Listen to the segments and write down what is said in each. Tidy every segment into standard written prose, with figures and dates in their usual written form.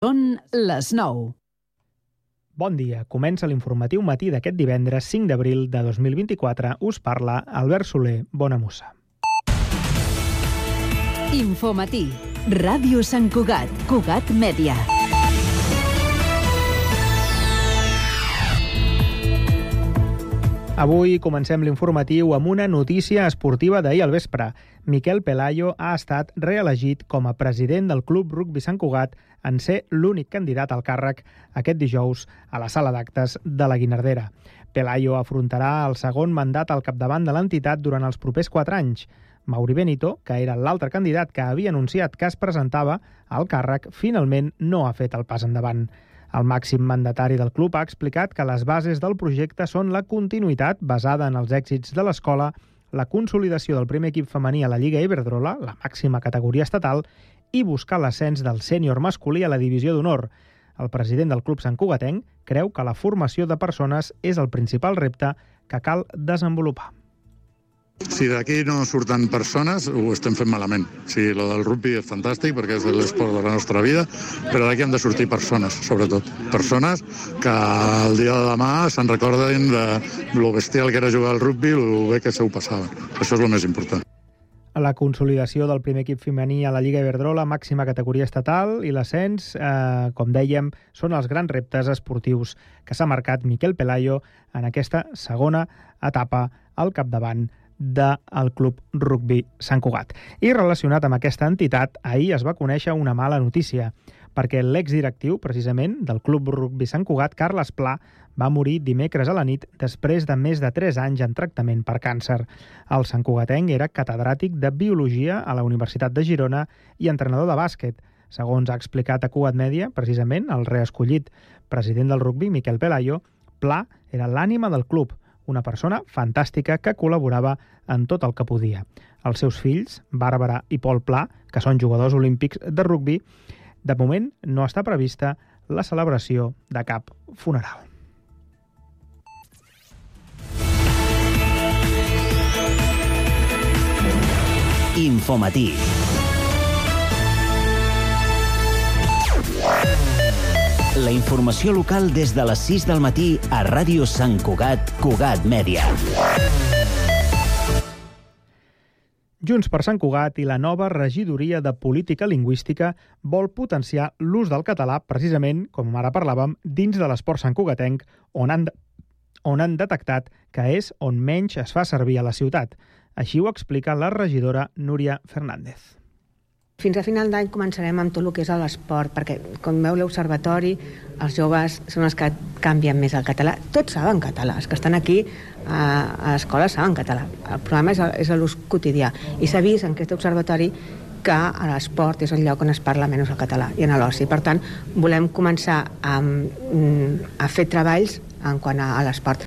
Són les 9. Bon dia, comença l'informatiu matí d'aquest divendres 5 d'abril de 2024. Us parla Albert Soler. Bona mossa. Infomatí. Ràdio Sant Cugat. Cugat Mèdia. Avui comencem l'informatiu amb una notícia esportiva d'ahir al vespre. Miquel Pelayo ha estat reelegit com a president del Club Rugbi Sant Cugat en ser l'únic candidat al càrrec aquest dijous a la sala d'actes de la Guinardera. Pelayo afrontarà el segon mandat al capdavant de l'entitat durant els propers 4 anys. Mauri Benito, que era l'altre candidat que havia anunciat que es presentava al càrrec, finalment no ha fet el pas endavant. El màxim mandatari del club ha explicat que les bases del projecte són la continuïtat basada en els èxits de l'escola, la consolidació del primer equip femení a la Lliga Iberdrola, la màxima categoria estatal, i buscar l'ascens del sènior masculí a la divisió d'honor. El president del club santcugatenc creu que la formació de persones és el principal repte que cal desenvolupar. Si d'aquí no surten persones, ho estem fent malament. Sí, lo del rugby és fantàstic perquè és l'esport de la nostra vida, però d'aquí han de sortir persones, sobretot. Persones que el dia de demà se'n recorden de lo bestial que era jugar al rugby, lo bé que se ho passaven. Això és el més important. La consolidació del primer equip femení a la Lliga Iberdrola, màxima categoria estatal, i l'ascens, com dèiem, són els grans reptes esportius que s'ha marcat Miquel Pelayo en aquesta segona etapa al capdavant del Club Rugbi Sant Cugat. I relacionat amb aquesta entitat, ahir es va conèixer una mala notícia, perquè l'exdirectiu, precisament, del Club Rugbi Sant Cugat, Carles Pla, va morir dimecres a la nit després de més de 3 anys en tractament per càncer. El santcugatenc era catedràtic de Biologia a la Universitat de Girona i entrenador de bàsquet. Segons ha explicat a Cugat Mèdia, precisament, el reescollit president del rugbi, Miquel Pelayo, Pla era l'ànima del club, una persona fantàstica que col·laborava en tot el que podia. Els seus fills, Bàrbara i Pol Pla, que són jugadors olímpics de rugbi, de moment no està prevista la celebració de cap funeral. Infomatí. La informació local des de les 6 del matí a Ràdio Sant Cugat, Cugat Mèdia. Junts per Sant Cugat i la nova regidoria de Política Lingüística vol potenciar l'ús del català, precisament, com ara parlàvem, dins de l'esport santcugatenc, on han detectat que és on menys es fa servir a la ciutat. Així ho explica la regidora Núria Fernández. Fins a final d'any començarem amb tot el que és l'esport, perquè, com veu l'observatori, els joves són els que canvien més el català. Tots saben català, els que estan aquí a l'escola saben català. El problema és l'ús quotidià. I s'ha vist en aquest observatori que a l'esport és el lloc on es parla menys el català i en l'oci. Per tant, volem començar a fer treballs en quant a l'esport.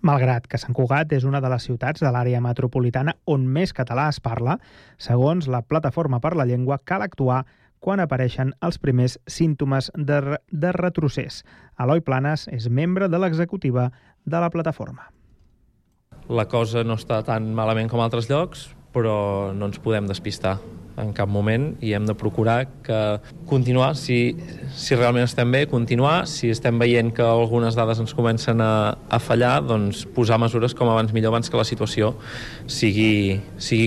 Malgrat que Sant Cugat és una de les ciutats de l'àrea metropolitana on més català es parla, segons la Plataforma per la Llengua, cal actuar quan apareixen els primers símptomes de retrocés. Eloi Planes és membre de l'executiva de la plataforma. La cosa no està tan malament com a altres llocs, però no ens podem despistar en cap moment i hem de procurar que continuar, si realment estem bé, continuar. Si estem veient que algunes dades ens comencen a fallar, doncs posar mesures com abans millor, abans que la situació sigui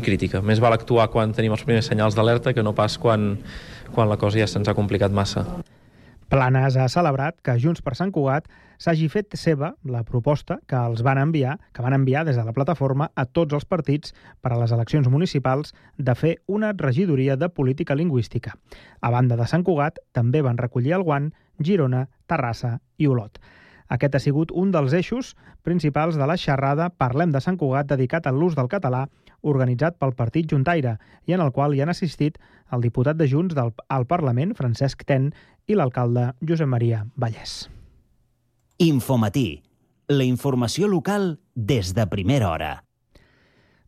crítica. Més val actuar quan tenim els primers senyals d'alerta que no pas quan la cosa ja se'ns ha complicat massa. Planes ha celebrat que Junts per Sant Cugat s'hagi fet seva la proposta que van enviar des de la plataforma a tots els partits per a les eleccions municipals de fer una regidoria de política lingüística. A banda de Sant Cugat, també van recollir el guant Girona, Terrassa i Olot. Aquest ha sigut un dels eixos principals de la xerrada Parlem de Sant Cugat dedicat a l'ús del català, organitzat pel Partit Juntaire, i en el qual hi han assistit el diputat de Junts al Parlament, Francesc Ten, i l'alcalde Josep Maria Vallès. Infomatí. La informació local des de primera hora.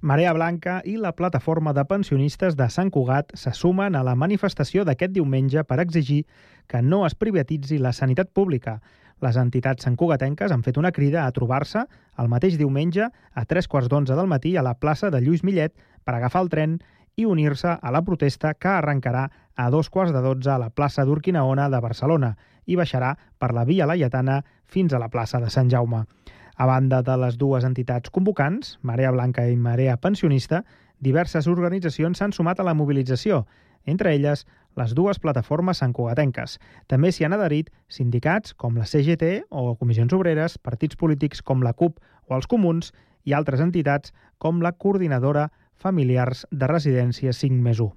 Marea Blanca i la Plataforma de Pensionistes de Sant Cugat se sumen a la manifestació d'aquest diumenge per exigir que no es privatitzi la sanitat pública. Les entitats santcugatenques han fet una crida a trobar-se el mateix diumenge a 3:15 del matí a la plaça de Lluís Millet per agafar el tren i unir-se a la protesta que arrencarà a 12:15 a la plaça d'Urquinaona de Barcelona i baixarà per la Via Laietana fins a la plaça de Sant Jaume. A banda de les dues entitats convocants, Marea Blanca i Marea Pensionista, diverses organitzacions s'han sumat a la mobilització, entre elles les dues plataformes santcugatenques. També s'hi han adherit sindicats com la CGT o Comissions Obreres, partits polítics com la CUP o els Comuns i altres entitats com la Coordinadora Familiars de Residències 5+1.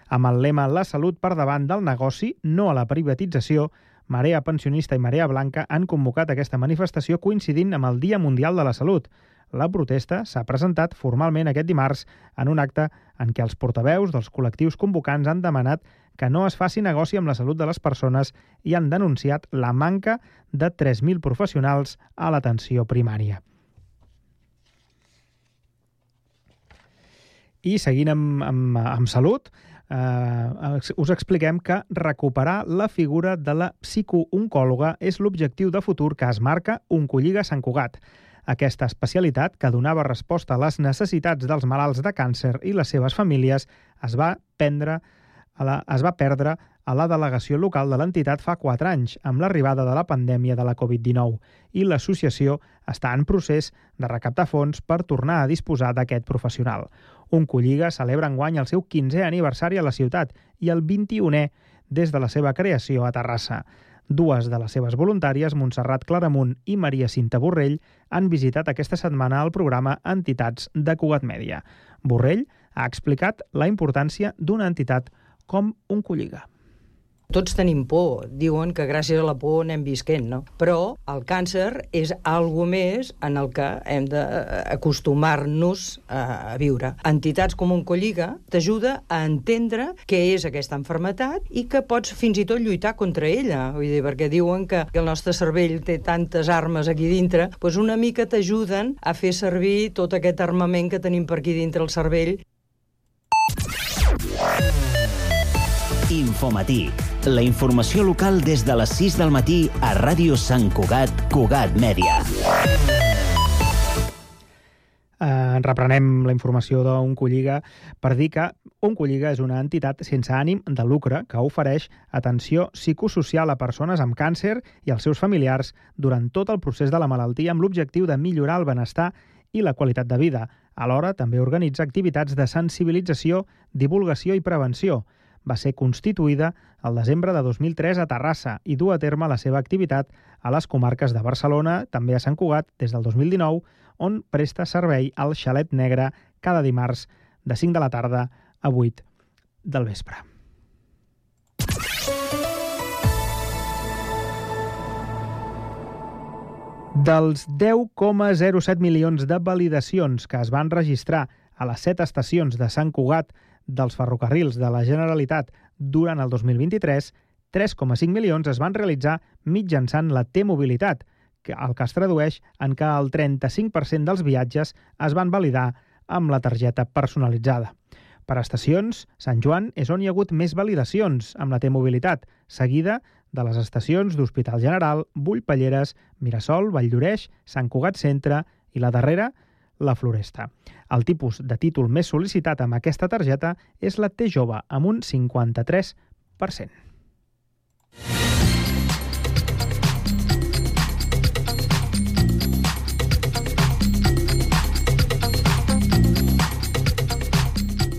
Amb el lema La salut per davant del negoci, no a la privatització, Marea Pensionista i Marea Blanca han convocat aquesta manifestació coincidint amb el Dia Mundial de la Salut. La protesta s'ha presentat formalment aquest dimarts en un acte en què els portaveus dels col·lectius convocants han demanat que no es faci negoci amb la salut de les persones i han denunciat la manca de 3.000 professionals a l'atenció primària. I seguint amb salut, us expliquem que recuperar la figura de la psicooncòloga és l'objectiu de futur que es marca Oncolliga Sant Cugat. Aquesta especialitat, que donava resposta a les necessitats dels malalts de càncer i les seves famílies, es va perdre a la delegació local de l'entitat fa 4 anys, amb l'arribada de la pandèmia de la Covid-19, i l'associació està en procés de recaptar fons per tornar a disposar d'aquest professional. Oncolliga celebra enguany el seu 15è aniversari a la ciutat i el 21è des de la seva creació a Terrassa. Dues de les seves voluntàries, Montserrat Claramunt i Maria Cinta Borrell, han visitat aquesta setmana el programa Entitats de Cugat Mèdia. Borrell ha explicat la importància d'una entitat com Oncolliga. Tots tenim por, diuen que gràcies a la por anem visquent, no? Però el càncer és algo més en el que hem d'acostumar-nos a viure. Entitats com Oncolliga t'ajuda a entendre què és aquesta malaltia i que pots fins i tot lluitar contra ella. Vull dir, perquè diuen que el nostre cervell té tantes armes aquí dintre, doncs una mica t'ajuden a fer servir tot aquest armament que tenim per aquí dintre el cervell. Infomatí. La informació local des de les 6 del matí a Ràdio Sant Cugat, Cugat Mèdia. Reprenem la informació d'Oncolliga per dir que Oncolliga és una entitat sense ànim de lucre que ofereix atenció psicosocial a persones amb càncer i als seus familiars durant tot el procés de la malaltia amb l'objectiu de millorar el benestar i la qualitat de vida. Alhora, també organitza activitats de sensibilització, divulgació i prevenció. Va ser constituïda al desembre de 2003 a Terrassa i du a terme la seva activitat a les comarques de Barcelona, també a Sant Cugat, des del 2019, on presta servei al Xalet Negre cada dimarts de 5 de la tarda a 8 del vespre. Dels 10,07 milions de validacions que es van registrar a les 7 estacions de Sant Cugat dels ferrocarrils de la Generalitat durant el 2023, 3,5 milions es van realitzar mitjançant la T-Mobilitat, el que es tradueix en que el 35% dels viatges es van validar amb la targeta personalitzada. Per estacions, Sant Joan és on hi ha hagut més validacions amb la T-Mobilitat, seguida de les estacions d'Hospital General, Bullpelleres, Mirasol, Valldoreix, Sant Cugat Centre i la darrera, la Floresta. El tipus de títol més sol·licitat amb aquesta targeta és la T-Jove, amb un 53%.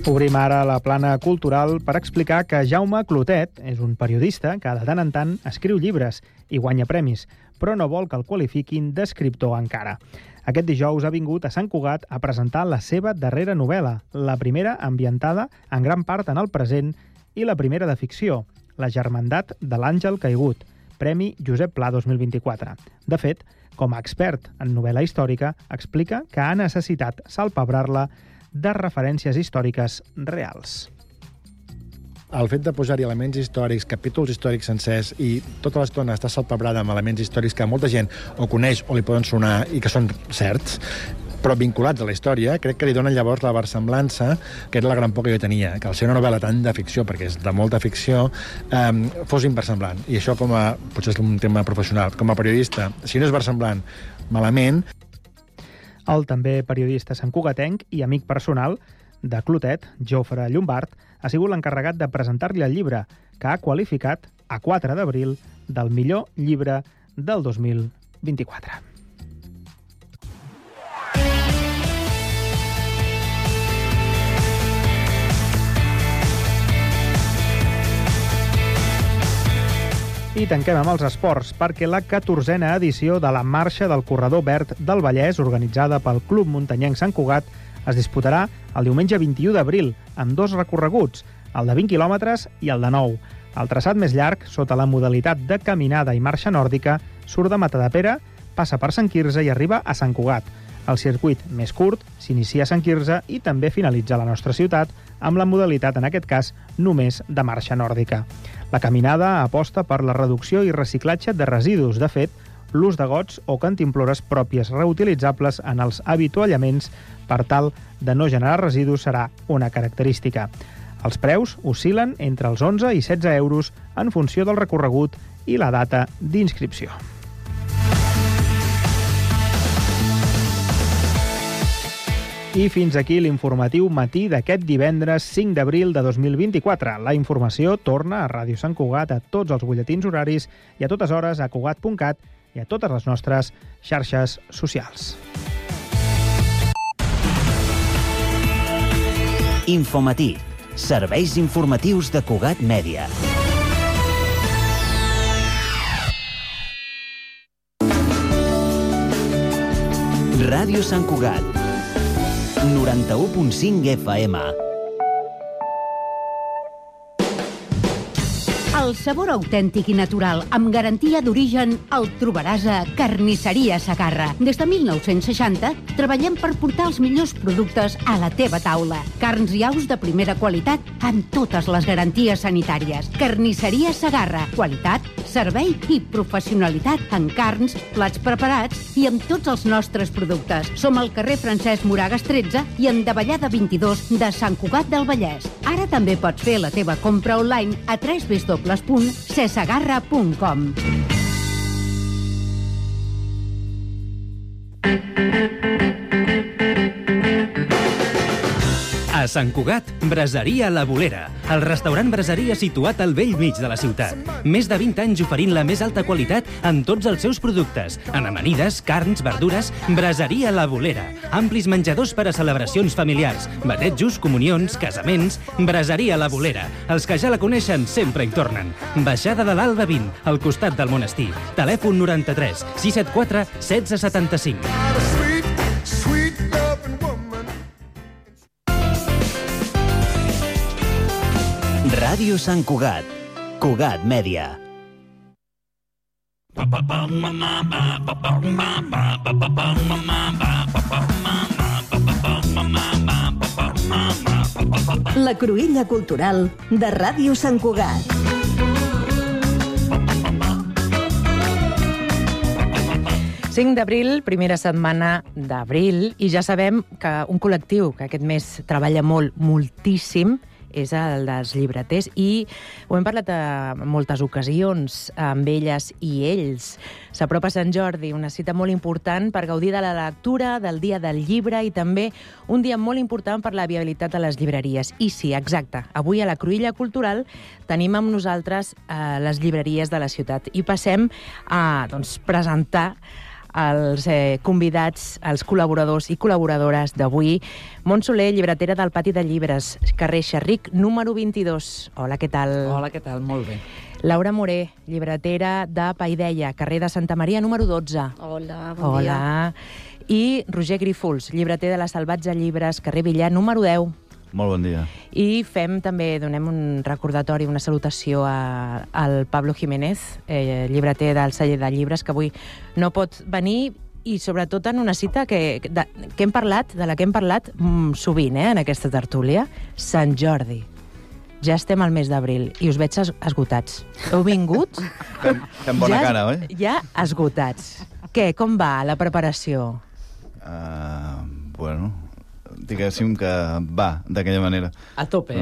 Obrim ara la plana cultural per explicar que Jaume Clotet és un periodista que de tant en tant escriu llibres i guanya premis, però no vol que el qualifiquin d'escriptor encara. Aquest dijous ha vingut a Sant Cugat a presentar la seva darrera novel·la, la primera ambientada en gran part en el present i la primera de ficció, La germandat de l'Àngel Caigut, Premi Josep Pla 2024. De fet, com a expert en novel·la històrica, explica que ha necessitat salpebrar-la de referències històriques reals. El fet de posar-hi elements històrics, capítols històrics sencers i tota l'estona està salpebrada amb elements històrics que molta gent o coneix o li poden sonar i que són certs, però vinculats a la història, crec que li donen llavors la versemblança, que era la gran por que jo tenia, que al ser una novel·la tan de ficció, perquè és de molta ficció, fos inversemblant. I això potser és un tema professional. Com a periodista, si no és versemblant, malament. El també periodista santcugatenc i amic personal de Clotet, Jofre Llombart, ha sigut l'encarregat de presentar-li el llibre, que ha qualificat a 4 d'abril del millor llibre del 2024. I tanquem amb els esports, perquè la 14a edició de la Marxa del Corredor Verd del Vallès, organitzada pel Club Muntanyenc Sant Cugat, es disputarà el diumenge 21 d'abril, amb 2 recorreguts, el de 20 quilòmetres i el de 9. El traçat més llarg, sota la modalitat de caminada i marxa nòrdica, surt de Matadepera, passa per Sant Quirze i arriba a Sant Cugat. El circuit més curt s'inicia a Sant Quirze i també finalitza a la nostra ciutat, amb la modalitat, en aquest cas, només de marxa nòrdica. La caminada aposta per la reducció i reciclatge de residus. De fet, l'ús de gots o cantimplores pròpies reutilitzables en els avituallaments per tal de no generar residus serà una característica. Els preus oscil·len entre els 11 i 16 euros en funció del recorregut i la data d'inscripció. I fins aquí l'informatiu matí d'aquest divendres 5 d'abril de 2024. La informació torna a Ràdio Sant Cugat a tots els butlletins horaris i a totes hores a cugat.cat i a totes les nostres xarxes socials. Infomatí. Serveis informatius de Cugat Mèdia. Ràdio Sant Cugat. 91.5 FM. El sabor autèntic i natural, amb garantia d'origen, el trobaràs a Carnisseria Segarra. Des de 1960 treballem per portar els millors productes a la teva taula. Carns i aus de primera qualitat amb totes les garanties sanitàries. Carnisseria Segarra. Qualitat, servei i professionalitat en carns, plats preparats i amb tots els nostres productes. Som al carrer Francesc Moragas 13 i en Davallada 22 de Sant Cugat del Vallès. Ara també pots fer la teva compra online a www.cesegarra.com. A Sant Cugat, Braseria La Bolera, el restaurant braseria situat al bell mig de la ciutat. Més de 20 anys oferint la més alta qualitat en tots els seus productes. En amanides, carns, verdures, Braseria La Bolera. Amplis menjadors per a celebracions familiars, batejos, comunions, casaments. Braseria La Bolera. Els que ja la coneixen sempre hi tornen. Baixada de l'Alba 20, al costat del monestir. Telèfon 93 674 1675. Ràdio Sant Cugat. Cugat Mèdia. La cruïlla cultural de Ràdio Sant Cugat. D'abril, primera setmana d'abril, i ja sabem que un col·lectiu que aquest mes treballa moltíssim és el dels llibreters, i ho hem parlat en moltes ocasions amb elles i ells. S'apropa Sant Jordi, una cita molt important per gaudir de la lectura, del dia del llibre i també un dia molt important per la viabilitat de les llibreries. I sí, exacte, avui a la Cruïlla Cultural tenim amb nosaltres les llibreries de la ciutat i passem a presentar els convidats, els col·laboradors i col·laboradores d'avui. Montse Soler, llibretera del Pati de Llibres, carrer Xerric, número 22. Hola, què tal? Hola, què tal? Molt bé. Laura Moré, llibretera de Paideia, carrer de Santa Maria, número 12. Hola, bon dia. I Roger Grífols, llibreter de la Salvatge Llibres, carrer Villar, número 10. Molt bon dia. I donem un recordatori, una salutació al Pablo Jiménez, llibreter del celler de llibres, que avui no pot venir, i sobretot en una cita de la que hem parlat sovint en aquesta tertúlia, Sant Jordi. Ja estem al mes d'abril i us veig esgotats. Heu vingut? Fem bona cara, oi? Ja esgotats. Què, com va la preparació? Bueno, diguéssim que va d'aquella manera. A tope.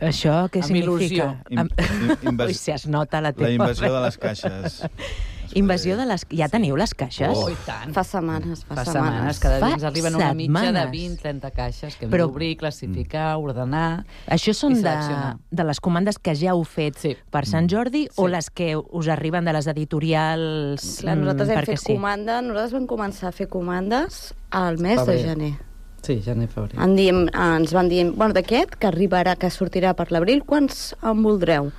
Això què significa? Amb il·lusió. Ui, si es nota la teva... La invasió de les caixes. Invasió de les... Ja teniu les caixes? Oh, i tant. Fa setmanes. Cada dia ens arriben una mitja de setmanes. 20-30 caixes que hem Però- d'obrir, classificar, ordenar... Això són i seleccionar. de les comandes que ja heu fet per Sant Jordi o les que us arriben de les editorials Clar, nosaltres hem perquè fet comanda, nosaltres vam començar a fer comandes al mes Febrer. de gener. Sí, gener, febrer. Ens van dir, bueno, d'aquest, que arribarà, que sortirà per l'abril, quants en voldreu?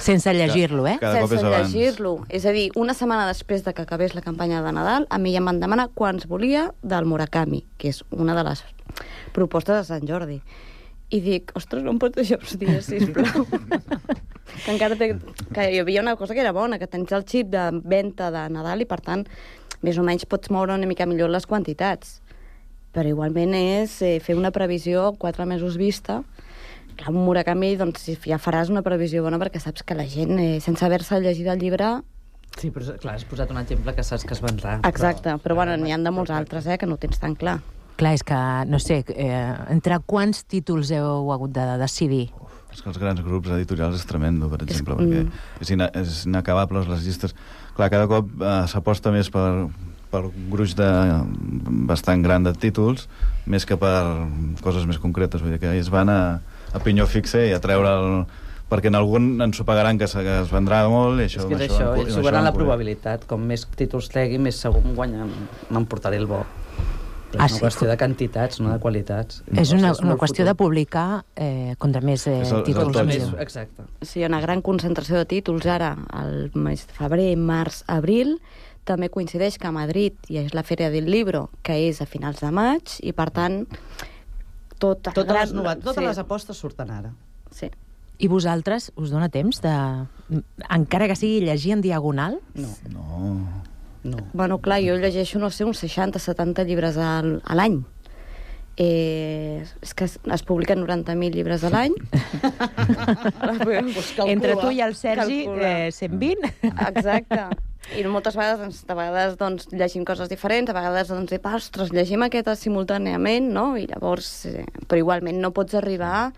Sense llegir-lo, Cada cop és Sense abans. llegir-lo. És a dir, una setmana després de que acabés la campanya de Nadal, a mi ja em van demanar quants volia del Murakami, que és una de les propostes de Sant Jordi. I dic, ostres, no em pots deixar uns dies, sisplau. Que encara que hi havia una cosa que era bona, que tens el xip de venda de Nadal i, per tant, més o menys pots moure una mica millor les quantitats. Però igualment és fer una previsió 4 mesos vista. Clar, un Murakami, doncs, ja faràs una previsió bona perquè saps que la gent, sense haver-se llegit el llibre... Sí, però clar, has posat un exemple que saps que es vendrà. Exacte, però bueno, n'hi ha de molts altres, que no ho tens tan clar. Clar, és que, no sé, entre quants títols heu hagut de decidir? És que els grans grups editorials és tremendo, per exemple, perquè és inacabable les llistes. Clar, cada cop s'aposta més per un gruix bastant gran de títols, més que per coses més concretes. Vull dir que es van a pinyó fixe i a treure perquè en algun ens ho pagaran que es vendrà molt i això... És que és això, ells jugaran la probabilitat. Com més títols tregui, més segur m'emportaré el bo. Però és una qüestió de quantitats, no de qualitats. És una qüestió de publicar contra més títols. Exacte. Sí, hi ha una gran concentració de títols ara, al mes de febrer, març, abril. També coincideix que a Madrid hi ha la Feria del Libro, que és a finals de maig, i per tant totes les apostes surten ara. Sí. I vosaltres us dona temps de, encara que sigui llegir en diagonal? No. Bueno, clar, jo llegeixo, no sé, uns 60-70 llibres a l'any. És que es publiquen 90.000 llibres a l'any. Entre tu i el Sergi, 120. Exacte. I moltes vegades doncs, llegim coses diferents, a vegades doncs, ostres, llegim aquesta simultàniament, no? I llavors, però igualment no pots arribar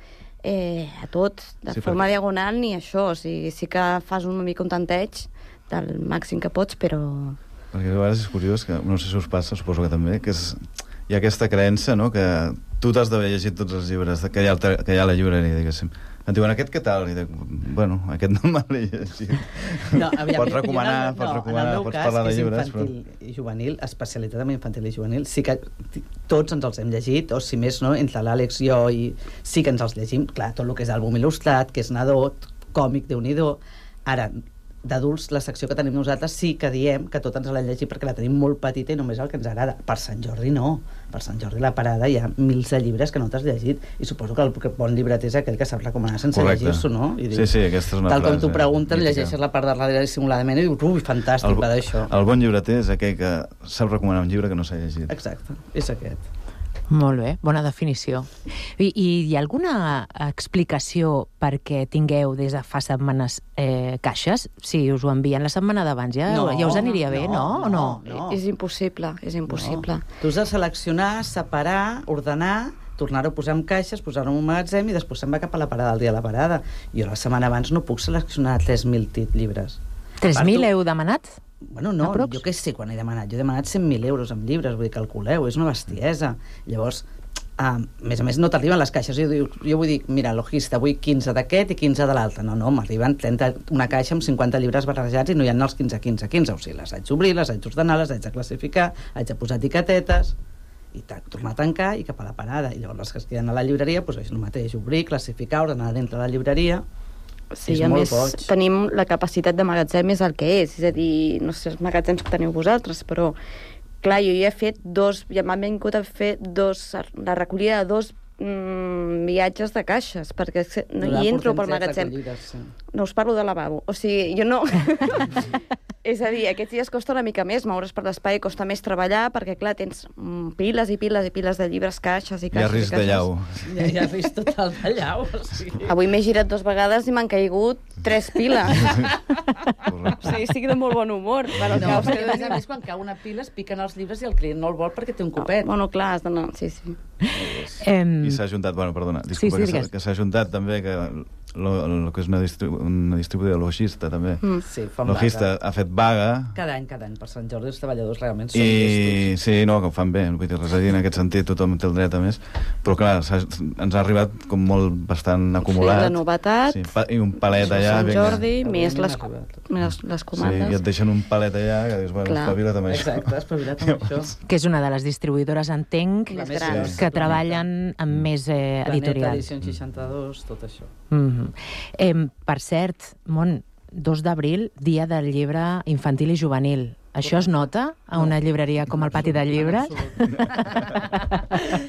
a tot, de forma diagonal, ni això. O sigui, sí que fas una mica un tanteig del màxim que pots, però... Perquè a vegades és curiós, que no sé si us passa, suposo que també, que hi ha aquesta creença, no?, que tu t'has d'haver llegit tots els llibres que hi ha a la llibreria, diguéssim. Em diuen, aquest què tal? I dic, bueno, aquest no me l'he llegit. No, aviam, pots recomanar, pots parlar de llibres. En el meu cas, que és infantil i juvenil, especialitat en infantil i juvenil, sí que tots ens els hem llegit, o si més, no, entre l'Àlex i jo, i sí que ens els llegim, clar, tot el que és àlbum il·lustrat, que és nadó, còmic, Déu-n'hi-do. Ara, d'adults, la secció que tenim nosaltres sí que diem que tot ens l'hem llegit perquè la tenim molt petita i només el que ens agrada. Per Sant Jordi no. Per Sant Jordi la parada hi ha mils de llibres que no t'has llegit i suposo que el bon llibreter és aquell que sap recomanar sense llegir-s'ho, no? I dius, sí, aquesta és una tal frase. Com t'ho pregunten, llegeixes la part de darrere dissimuladament i dius, ui, fantàstic, va d'això. El bon llibreter és aquell que sap recomanar un llibre que no s'ha llegit. Exacte, és aquest. Molt bé, bona definició. I hi ha alguna explicació perquè tingueu des de fa setmanes caixes? Si us ho envien la setmana d'abans, ja us aniria bé, no? No. És impossible, és impossible. No. Tu has de seleccionar, separar, ordenar, tornar-ho a posar en caixes, posar-ho en un magatzem i després se'n va cap a la parada, el dia de la parada. Jo la setmana abans no puc seleccionar 3.000 llibres. 3.000 heu demanat? Bueno, no, jo què sé quan he demanat. Jo he demanat 100.000 euros en llibres, vull dir, calculeu, és una bestiesa. Llavors, a més a més, no t'arriben les caixes. Jo vull dir, mira, logista, vull 15 d'aquest i 15 de l'altre. No, m'arriben una caixa amb 50 llibres barrejats i no hi ha els 15. O sigui, les haig d'obrir, les haig d'ordenar, les haig de classificar, haig de posar etiquetetes i tornar a tancar i cap a la parada. I llavors les que es queden a la llibreria, doncs és el mateix, obrir, classificar, ordenar dintre de la llibreria. Sí, a més, tenim la capacitat de magatzem és el que és a dir, no sé els magatzems que teniu vosaltres, però clar, jo ja he fet m'han vingut a fer la recollida de 2 viatges de caixes, perquè hi entro pel magatzem. No us parlo de lavabo, o sigui, jo no... És a dir, aquests dies costa una mica més, moure's per l'espai costa més treballar, perquè clar, tens piles i piles i piles de llibres, caixes i caixes. Hi ha risc de llau. Hi ha risc total de llau. Avui m'he girat 2 vegades i m'han caigut 3 piles. O sigui, estic de molt bon humor. No, perquè a més quan cau una pila es piquen els llibres i el client no el vol perquè té un copet. Bueno, clar, has d'anar... Sí. I s'ha ajuntat, bueno, perdona, disculpa, que s'ha ajuntat també que el que és una distribuïdora logista, també. Sí, fan Logista vaga. ha fet vaga. Cada any, per Sant Jordi, els treballadors realment són I sí, no, que ho fan bé, vull dir, res a dir en aquest sentit, tothom té el dret a més, però clar, ens ha arribat com molt bastant acumulat. Sí, la novetat. Sí, i un palet allà. Sant Jordi, més les comandes. Sí, i et deixen un palet allà, que dius, bueno, espavila't amb això. Exacte, espavila't amb això. Que és una de les distribuïdores, entenc, que treballen amb més editorials. Edició 62, tot això. Per cert, Mont, 2 d'abril, dia del llibre infantil i juvenil. Això es nota a una llibreria com el Pati del Llibre?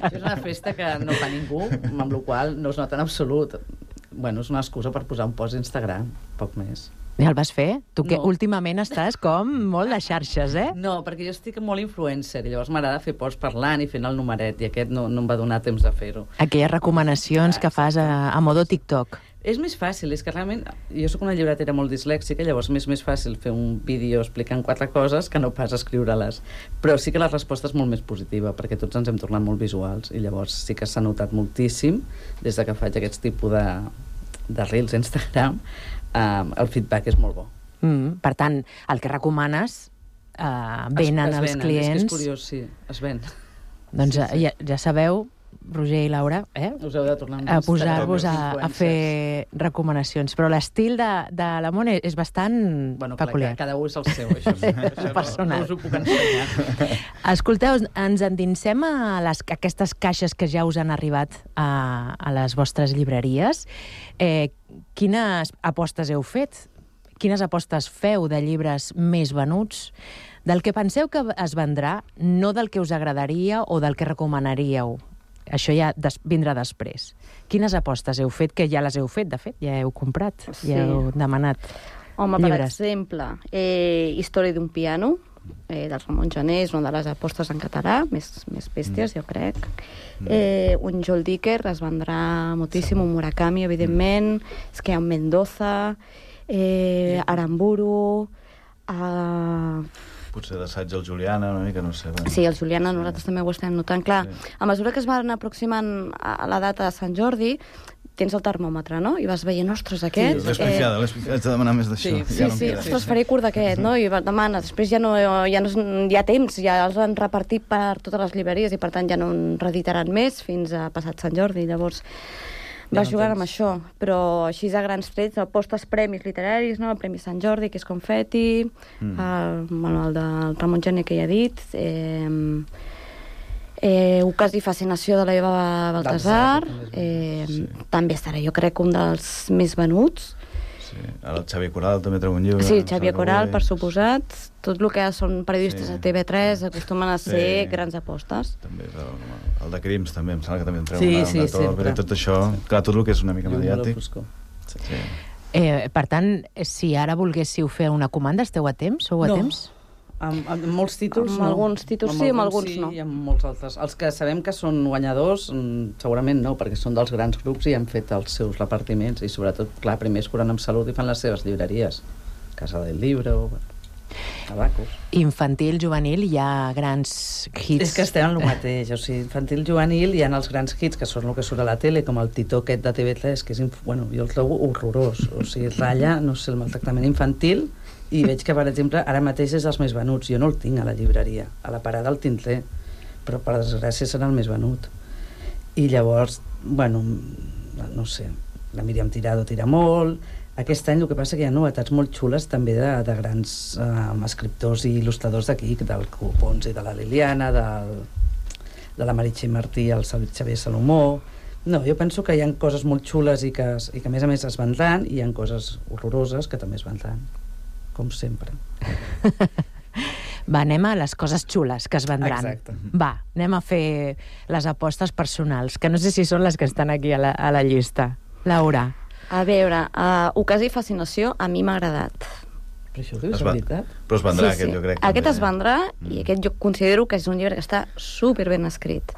És una festa que no fa ningú, amb la qual no es nota en absolut. Bueno, és una excusa per posar un post a Instagram, poc més. Ja el vas fer? Tu que últimament estàs com molt de xarxes, eh? No, perquè jo estic molt influencer i llavors m'agrada fer posts parlant i fent el numeret i aquest no em va donar temps de fer-ho. Aquelles recomanacions que fas a modo TikTok. És més fàcil, és que realment jo sóc una llibretera molt dislèxica, llavors m'és més fàcil fer un vídeo explicant 4 coses que no pas escriure-les. Però sí que la resposta és molt més positiva, perquè tots ens hem tornat molt visuals i llavors sí que s'ha notat moltíssim des que faig aquests tipus de reels a Instagram. El feedback és molt bo. Per tant, el que recomanes venen els clients. És que és curiós, sí, es ven. Doncs ja sabeu, Roger i Laura, us heu de tornar a posar-vos a fer recomanacions. Però l'estil de la Mona és bastant peculiar. Cada un és el seu, això. Personal. No us ho puc ensenyar. Escolteu, ens endinsem a aquestes caixes que ja us han arribat a les vostres llibreries. Quines apostes heu fet? Quines apostes feu de llibres més venuts? Del que penseu que es vendrà, no del que us agradaria o del que recomanaríeu. Això ja vindrà després. Quines apostes heu fet, que ja les heu fet, de fet? Ja heu comprat, ja heu demanat llibres. Per exemple, Història d'un piano, del Ramon Gené, és una de les apostes en català, més bèsties, jo crec. Un Joel Dicker es vendrà moltíssim, un Murakami, evidentment, és que hi ha un Mendoza, Aramburu... Potser d'assaig el Juliana, una mica, no sé. Sí, el Juliana nosaltres també ho estem notant. Clar, a mesura que es van aproximant a la data de Sant Jordi, tens el termòmetre, no? I vas veient, ostres, aquest... Sí, l'he haig de demanar més d'això. Sí, ostres, faré curt d'aquest, no? I demanes, després ja no hi ha temps, ja els han repartit per totes les llibreries i per tant ja no en reeditaran més fins a passat Sant Jordi. Llavors vas jugant amb això, però així a grans trets, apostes premis literaris, no? El Premi Sant Jordi, que és Confetti, el del Ramon Gené, que ja he dit, Ucas i Fascinació de la Eva Baltasar, també estarà, jo crec, un dels més venuts. Ara el Xavier Coral també treu un llibre. Sí, Xavier Coral, per suposat. Tot el que són periodistes a TV3 acostumen a ser grans apostes. També el de Crims, també, em sembla que també en treu sempre. Tot això, clar, tot el que és una mica mediàtic. Per tant, si ara volguéssiu fer una comanda, esteu a temps? Sou a temps? Amb molts títols, amb alguns títols sí, amb alguns no. I amb molts altres. Els que sabem que són guanyadors, segurament no, perquè són dels grans grups i han fet els seus repartiments i sobretot, clar, primer es curen amb salut i fan les seves llibreries. Casa del Libro, Abacus. Infantil, juvenil, hi ha grans hits. És que estem en el mateix, o sigui, infantil, juvenil, hi ha els grans hits que són el que surt a la tele, com el Titó aquest de TV3, que és, bueno, jo el trobo horrorós, o sigui, ratlla, no sé, el maltractament infantil. I veig que, per exemple, ara mateix és els més venuts. Jo no el tinc a la llibreria. A la parada el tindré, però per desgràcia serà el més venut. I llavors, bueno, no sé, la Míriam Tirado tira molt. Aquest any el que passa que hi ha novetats molt xules també de grans escriptors i il·lustradors d'aquí, del Copons i de la Liliana, de la Meritxell Martí, el Xavier Salomó. No, jo penso que hi ha coses molt xules i que a més es vendran, i hi ha coses horroroses que també es vendran. Com sempre. Va, anem a les coses xules que es vendran. Exacte. Va, anem a fer les apostes personals, que no sé si són les que estan aquí a la llista. Laura. A veure, Ucas i Fascinació a mi m'ha agradat. Però això ho dius de veritat? Però es vendrà, aquest, jo crec. Aquest es vendrà, i aquest jo considero que és un llibre que està superben escrit.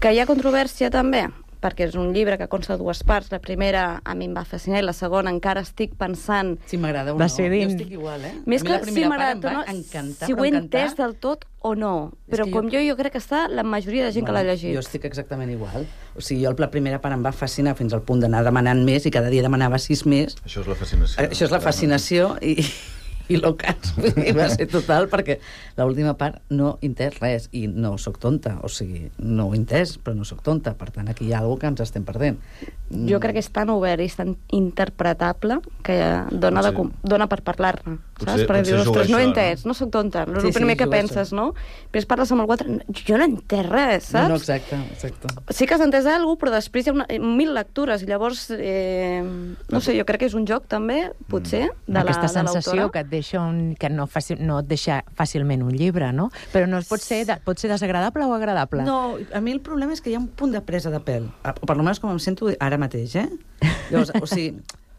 Que hi ha controvèrsia també? perquè és un llibre que consta de 2 parts. La primera a mi em va fascinar i la segona encara estic pensant... Si m'agrada o no. Jo estic igual, Més que si m'agrada, em va encantar, si ho he entès del tot o no. Però com jo crec que està la majoria de gent que l'ha llegit. Jo estic exactament igual. O sigui, jo la primera part em va fascinar fins al punt d'anar demanant més i cada dia demanava 6 més. Això és la fascinació. Això és la fascinació i l'ocas. Va ser total, perquè l'última part no he entès res i no sóc tonta. O sigui, no ho he entès, però no sóc tonta. Per tant, aquí hi ha alguna que ens estem perdent. Jo crec que és tan obert i és tan interpretable que dona per parlar-ne. Saps? Perquè dius, ostres, no he entès, no sóc tonta. És el primer que penses, no? Després parles amb algú altre, jo no he entès res, saps? No, exacte. Sí que has entès alguna cosa, però després hi ha 1000 lectures, i llavors, no sé, jo crec que és un joc també, potser, de l'autora. Aquesta sensació que et deixa que no et deixa fàcilment un llibre, no? Però no pot ser desagradable o agradable? No, a mi el problema és que hi ha un punt de presa de pèl, o per almenys com em sento ara mateix, Llavors, o sigui,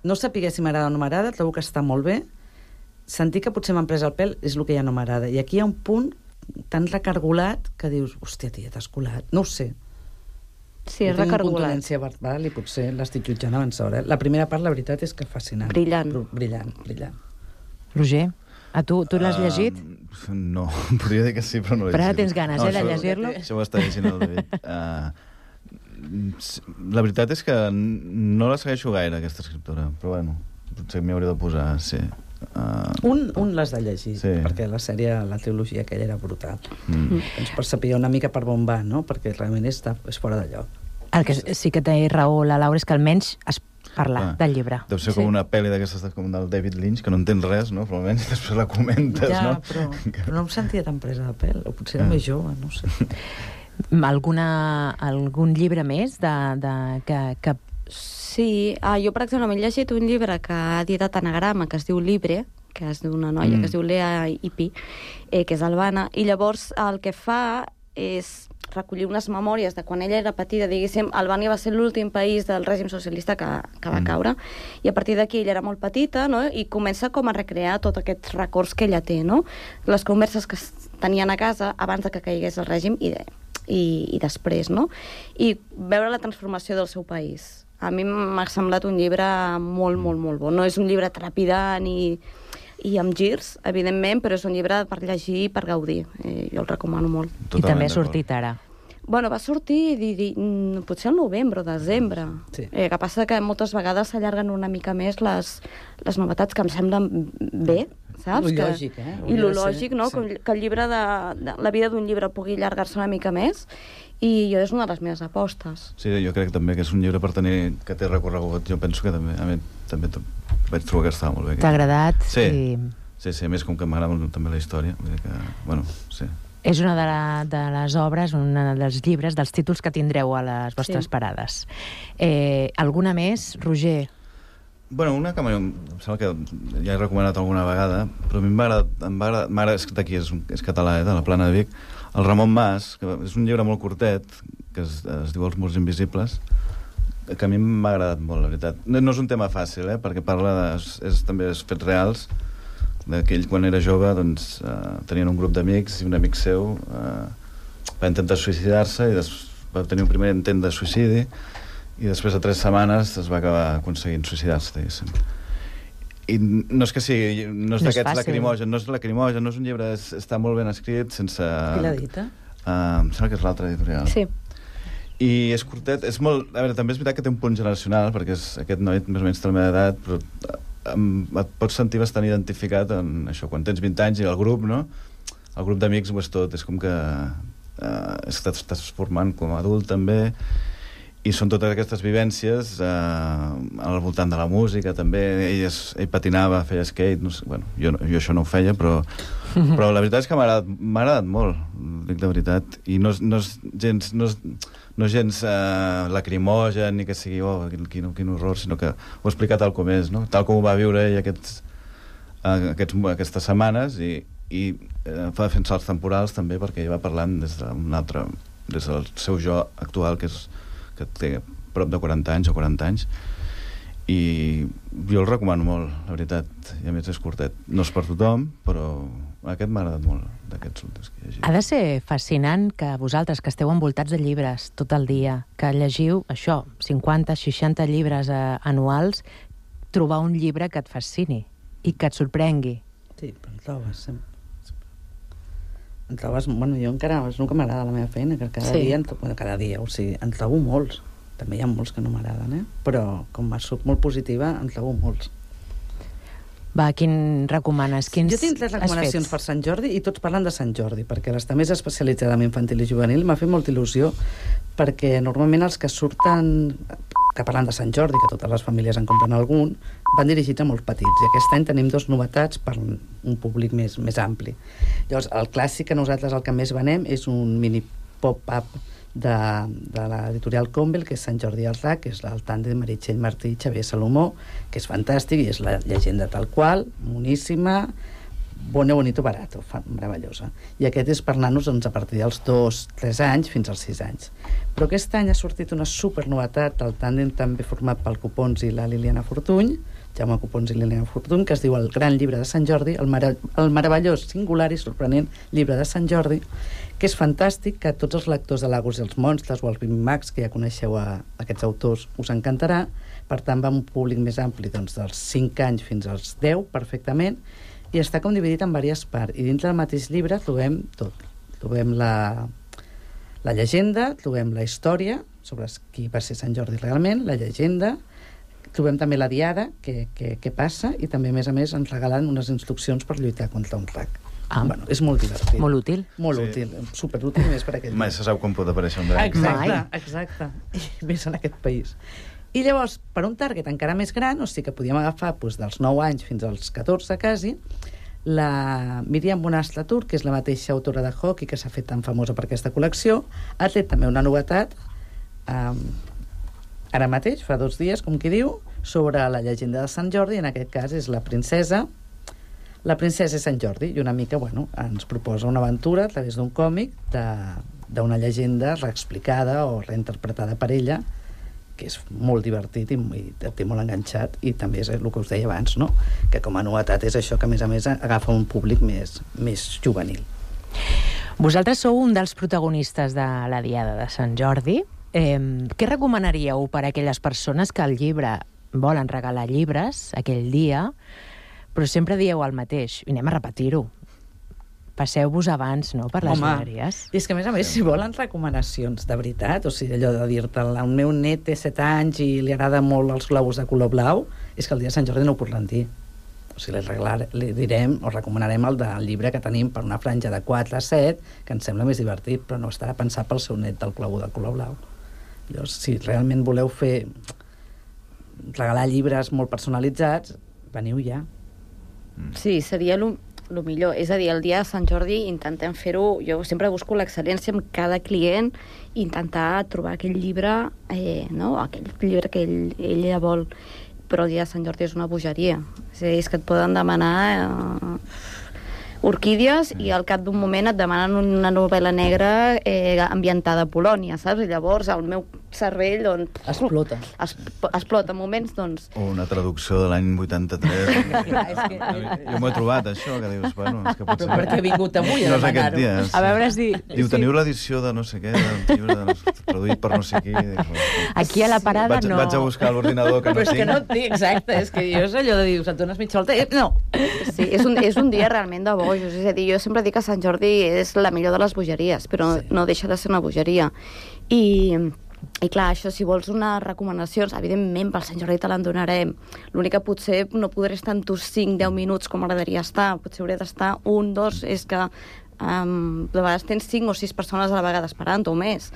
no saber si m'agrada o no m'agrada, trobo que està molt bé. Sentir que potser m'han pres el pèl és el que ja no m'agrada. I aquí hi ha un punt tan recargolat que dius, hòstia, tia, t'has colat. No ho sé. Sí, és recargolat. Tinc contundència verbal i potser l'estic jutjant abans d'hora. La primera part, la veritat, és que fascinant. Brillant. Roger, tu l'has llegit? No, podria dir que sí, però no l'he llegit. Però ara tens ganes, de llegir-lo? Això ho està llegint el David. La veritat és que no la segueixo gaire, aquesta escriptora, però bueno, potser m'hi hauria de posar, sí. Un l'has de llegir, perquè la sèrie, la trilogia aquella era brutal. Doncs per saber una mica per on va, no? Perquè realment és fora de lloc. El que sí que té raó la Laura és que almenys es parla del llibre. Deu ser com una pel·li d'aquestes com del David Lynch, que no entens res, no? Però almenys després la comentes, no? Ja, però no em sentia tan presa de pèl, o potser era més jove, no sé. Algun llibre més que... Sí, jo per exemple m'he llegit un llibre que ha editat Anagrama, que es diu Libre, que és d'una noia que es diu Lea Ipi, que és albana, i llavors el que fa és recollir unes memòries de quan ella era petita, diguéssim, Albània va ser l'últim país del règim socialista que va caure, i a partir d'aquí ella era molt petita, no? I comença com a recrear tots aquests records que ella té, no? Les converses que tenien a casa abans de que caigués el règim i després, no? I veure la transformació del seu país. A mi m'ha semblat un llibre molt, molt, molt bo. No és un llibre trepidant i amb girs, evidentment, però és un llibre per llegir i per gaudir. Jo el recomano molt. I també ha sortit ara. Bueno, va sortir potser al novembre o desembre. Sí. Que passa que moltes vegades s'allarguen una mica més les novetats que em semblen bé, saps? Lo lògic, I lo lògic, no? Sí. Que el llibre la vida d'un llibre pugui allargar-se una mica més, i és una de les meves apostes. Sí, jo crec també que és un llibre per tenir, que té recorregut. Jo penso que també vaig trobar que estava molt bé. T'ha agradat? Sí, més com que m'agrada també la història. Vull dir que, bueno, sí. És una de les obres, un dels llibres, dels títols que tindreu a les vostres parades. Alguna més, Roger? Bueno, una que em sembla que ja he recomanat alguna vegada, però a mi m'agrada, és d'aquí, és català, de la Plana de Vic, el Ramon Mas, que és un llibre molt curtet, que es diu Els murs invisibles, que a mi m'ha agradat molt, la veritat. No és un tema fàcil, perquè parla també de fets reals, que ell quan era jove doncs, tenien un grup d'amics i un amic seu va intentar suïcidar-se i va tenir un primer intent de suïcidi i després de 3 setmanes es va acabar aconseguint suïcidar-se, diguéssim. I no és que sigui, no és d'aquests lacrimogen, no és lacrimogen, no és un llibre, està molt ben escrit, sense... Qui l'ha dit, em sembla que és l'altre editorial. Sí. I és curtet, és molt... A veure, també és veritat que té un punt generacional, perquè aquest noi més o menys té la meva edat, però et pots sentir bastant identificat en això, quan tens 20 anys i el grup, no? El grup d'amics ho és tot, és com que estàs formant com a adult també, i són totes aquestes vivències al voltant de la música també. Ell patinava, feia skate, no sé, bueno, jo això no ho feia, però la veritat és que m'ha agradat molt, dic de veritat, i no és gens lacrimogen ni que sigui quin horror, sinó que ho explica tal com és, no? Tal com ho va viure ell aquestes setmanes, i fa fent salts temporals també, perquè ell va parlant des del seu jo actual, que té prop de 40 anys o 40 anys, i jo el recomano molt, la veritat, i a més és curtet. No és per tothom, però Aquest m'ha agradat molt, d'aquests últims que he llegit. Ha de ser fascinant que vosaltres, que esteu envoltats de llibres tot el dia, que llegiu això, 50, 60 llibres anuals, trobar un llibre que et fascini i que et sorprengui. Sí, però en trobes sempre. En trobes, bueno, jo encara és el que m'agrada la meva feina, que cada dia, o sigui, en trobo molts. També hi ha molts que no m'agraden, però com soc molt positiva, en trobo molts. Va, quin recomanes? Jo tinc 3 recomanacions per Sant Jordi i tots parlen de Sant Jordi, perquè l'estar més especialitzada en infantil i juvenil m'ha fet molta il·lusió, perquè normalment els que surten que parlen de Sant Jordi, que totes les famílies en compren algun, van dirigits a molts petits, i aquest any tenim 2 novetats per un públic més ampli. Llavors, el clàssic que nosaltres el que més venem és un mini pop-up de l'editorial Convel, que és Sant Jordi al RAC, que és el tàndem Meritxell Martí i Xavier Salomó, que és fantàstic i és la llegenda tal qual, moníssima, bonito, barato, meravellosa. I aquest és per nanos a partir dels 2-3 anys fins als 6 anys. Però aquest any ha sortit una supernovetat, el tàndem també format pel Copons i la Liliana Fortuny, Jaume Copons i Liliana Fortuny, que es diu El Gran Llibre de Sant Jordi, el meravellós, singular i sorprenent llibre de Sant Jordi, que és fantàstic, que tots els lectors de Lagos i els Monstres o els Bimax, que ja coneixeu aquests autors, us encantarà. Per tant, va un públic més ampli, doncs, dels 5 anys fins als 10, perfectament, i està com dividit en diverses parts. I dintre del mateix llibre trobem tot. Trobem la llegenda, trobem la història sobre qui va ser Sant Jordi realment, la llegenda, trobem també la diada, què passa, i també, a més, ens regalen unes instruccions per lluitar contra un RAC. Bueno, és molt divertit. Molt útil. Molt útil, superútil, més per aquell. Mai se sap quan pot aparèixer un drac. Exacte. I més en aquest país. I llavors, per un target encara més gran, o sigui que podíem agafar dels 9 anys fins als 14 quasi, la Míriam Bonastre Tur, que és la mateixa autora de hockey que s'ha fet tan famosa per aquesta col·lecció, ha tret també una novetat ara mateix, fa 2 dies, com qui diu, sobre la llegenda de Sant Jordi, en aquest cas és la princesa és Sant Jordi, i una mica, ens proposa una aventura a través d'un còmic d'una llegenda reexplicada o reinterpretada per ella, que és molt divertit i et té molt enganxat, i també és el que us deia abans, no? Que com a novetat és això, que a més agafa un públic més juvenil. Vosaltres sou un dels protagonistes de la Diada de Sant Jordi. Què recomanaríeu per a aquelles persones que al llibre volen regalar llibres aquell dia, però sempre dieu el mateix, i anem a repetir-ho. Passeu-vos abans, no?, per les llibreries. I és que, a més, si volen recomanacions de veritat, o sigui, allò de dir-te, el meu net té 7 anys i li agrada molt els globus de color blau, és que el dia de Sant Jordi no ho podran dir. O sigui, li direm o recomanarem el del llibre que tenim per una franja de 4 a 7, que ens sembla més divertit, però no estarà pensat pel seu net del globo de color blau. Llavors, si realment voleu regalar llibres molt personalitzats, veniu ja. Sí, seria el millor. És a dir, el dia de Sant Jordi intentem fer-ho... Jo sempre busco l'excel·lència amb cada client i intentar trobar aquell llibre, aquell llibre que ella vol. Però el dia de Sant Jordi és una bogeria. És que et poden demanar orquídies i al cap d'un moment et demanen una novel·la negra ambientada a Polònia, saps? I llavors el meu cervell explota en moments, doncs... O una traducció de l'any 83. Jo m'ho he trobat, això, que dius, és que potser... Però perquè he vingut avui a demanar-ho. A veure si... Diu, teniu l'edició de no sé què, del llibre traduït per no sé qui. Aquí a la parada no... Vaig a buscar l'ordinador que no tinc. Però és que no et dic, exacte, és que jo és allò de dir, et dones mitja volta... No! Sí, és un dia realment de bojos, és a dir, jo sempre dic que Sant Jordi és la millor de les bogeries, però no deixa de ser una bogeria. I clar, això, si vols unes recomanacions, evidentment pel Sant Jordi te l'en donarem. L'únic que potser no podré estar amb tu 5-10 minuts com m'agradaria estar, potser hauré d'estar 1, 2, és que de vegades tens 5 o 6 persones a la vegada esperant o més.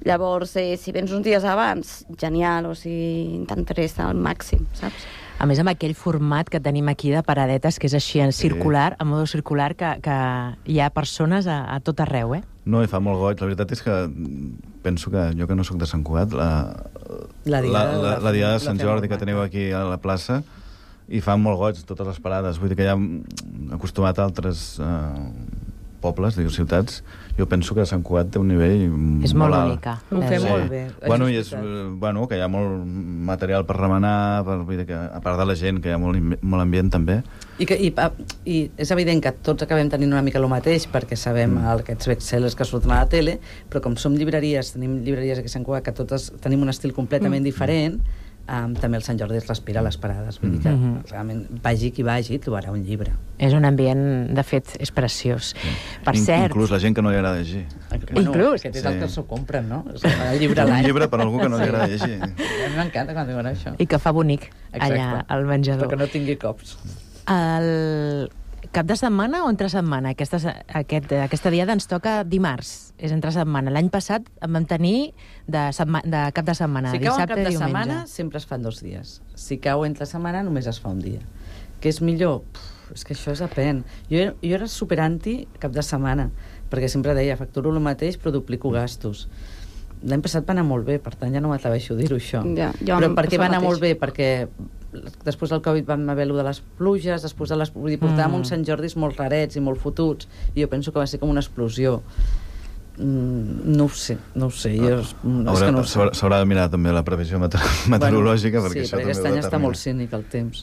Llavors, si vens uns dies abans, genial, o sigui, intentaré estar al màxim, saps? A més, amb aquell format que tenim aquí de paradetes, que és així en circular, en modo circular, que hi ha persones a tot arreu, No, i fa molt goig. La veritat és que penso que jo que no sóc de Sant Cugat, la Diada de Sant Jordi que teniu aquí a la plaça, i fan molt goig totes les parades. Vull dir que ja hem acostumat a altres pobles, dic, ciutats, jo penso que Sant Cugat té un nivell és molt alt. única. Ho fem molt bé. Bueno, i és, que hi ha molt material per remenar, vull dir que, a part de la gent, que hi ha molt ambient també. I és evident que tots acabem tenint una mica el mateix, perquè sabem aquests bestsellers que surten a la tele, però com som llibreries, tenim llibreries aquí a Sant Cugat que totes tenim un estil completament diferent, també el Sant Jordi es respira a les parades. Vull dir que realment vagi qui vagi trobarà un llibre. És un ambient, de fet, és preciós. Per cert... Inclús la gent que no li agrada llegir. Inclús? Aquest és el que s'ho compren, no? El llibre un llibre per algú que no li agrada llegir. A mi m'encanta quan diuen això. I que fa bonic allà al menjador. Perquè no tingui cops. El cap de setmana o entre setmana? Aquesta diada ens toca dimarts, és entre setmana. L'any passat en vam tenir de cap de setmana, si cau dissabte en cap de i diumenge. setmana, sempre es fan 2 dies. Si cau entre setmana, només es fa un dia. Què és millor? És que això és depèn. Jo era superanti cap de setmana, perquè sempre deia, facturo el mateix, però duplico gastos. L'any passat va anar molt bé, per tant ja no m'atreveixo a dir-ho, això. Ja, però per què va anar molt bé? Perquè després del Covid vam haver allò de les pluges, després de les... Vull dir, portàvem uns Sant Jordis molt rarets i molt fotuts, i jo penso que va ser com una explosió. No ho sé. S'haurà de mirar també la previsió meteorològica, perquè això també ho determina. Sí, perquè aquest any està molt cínic el temps.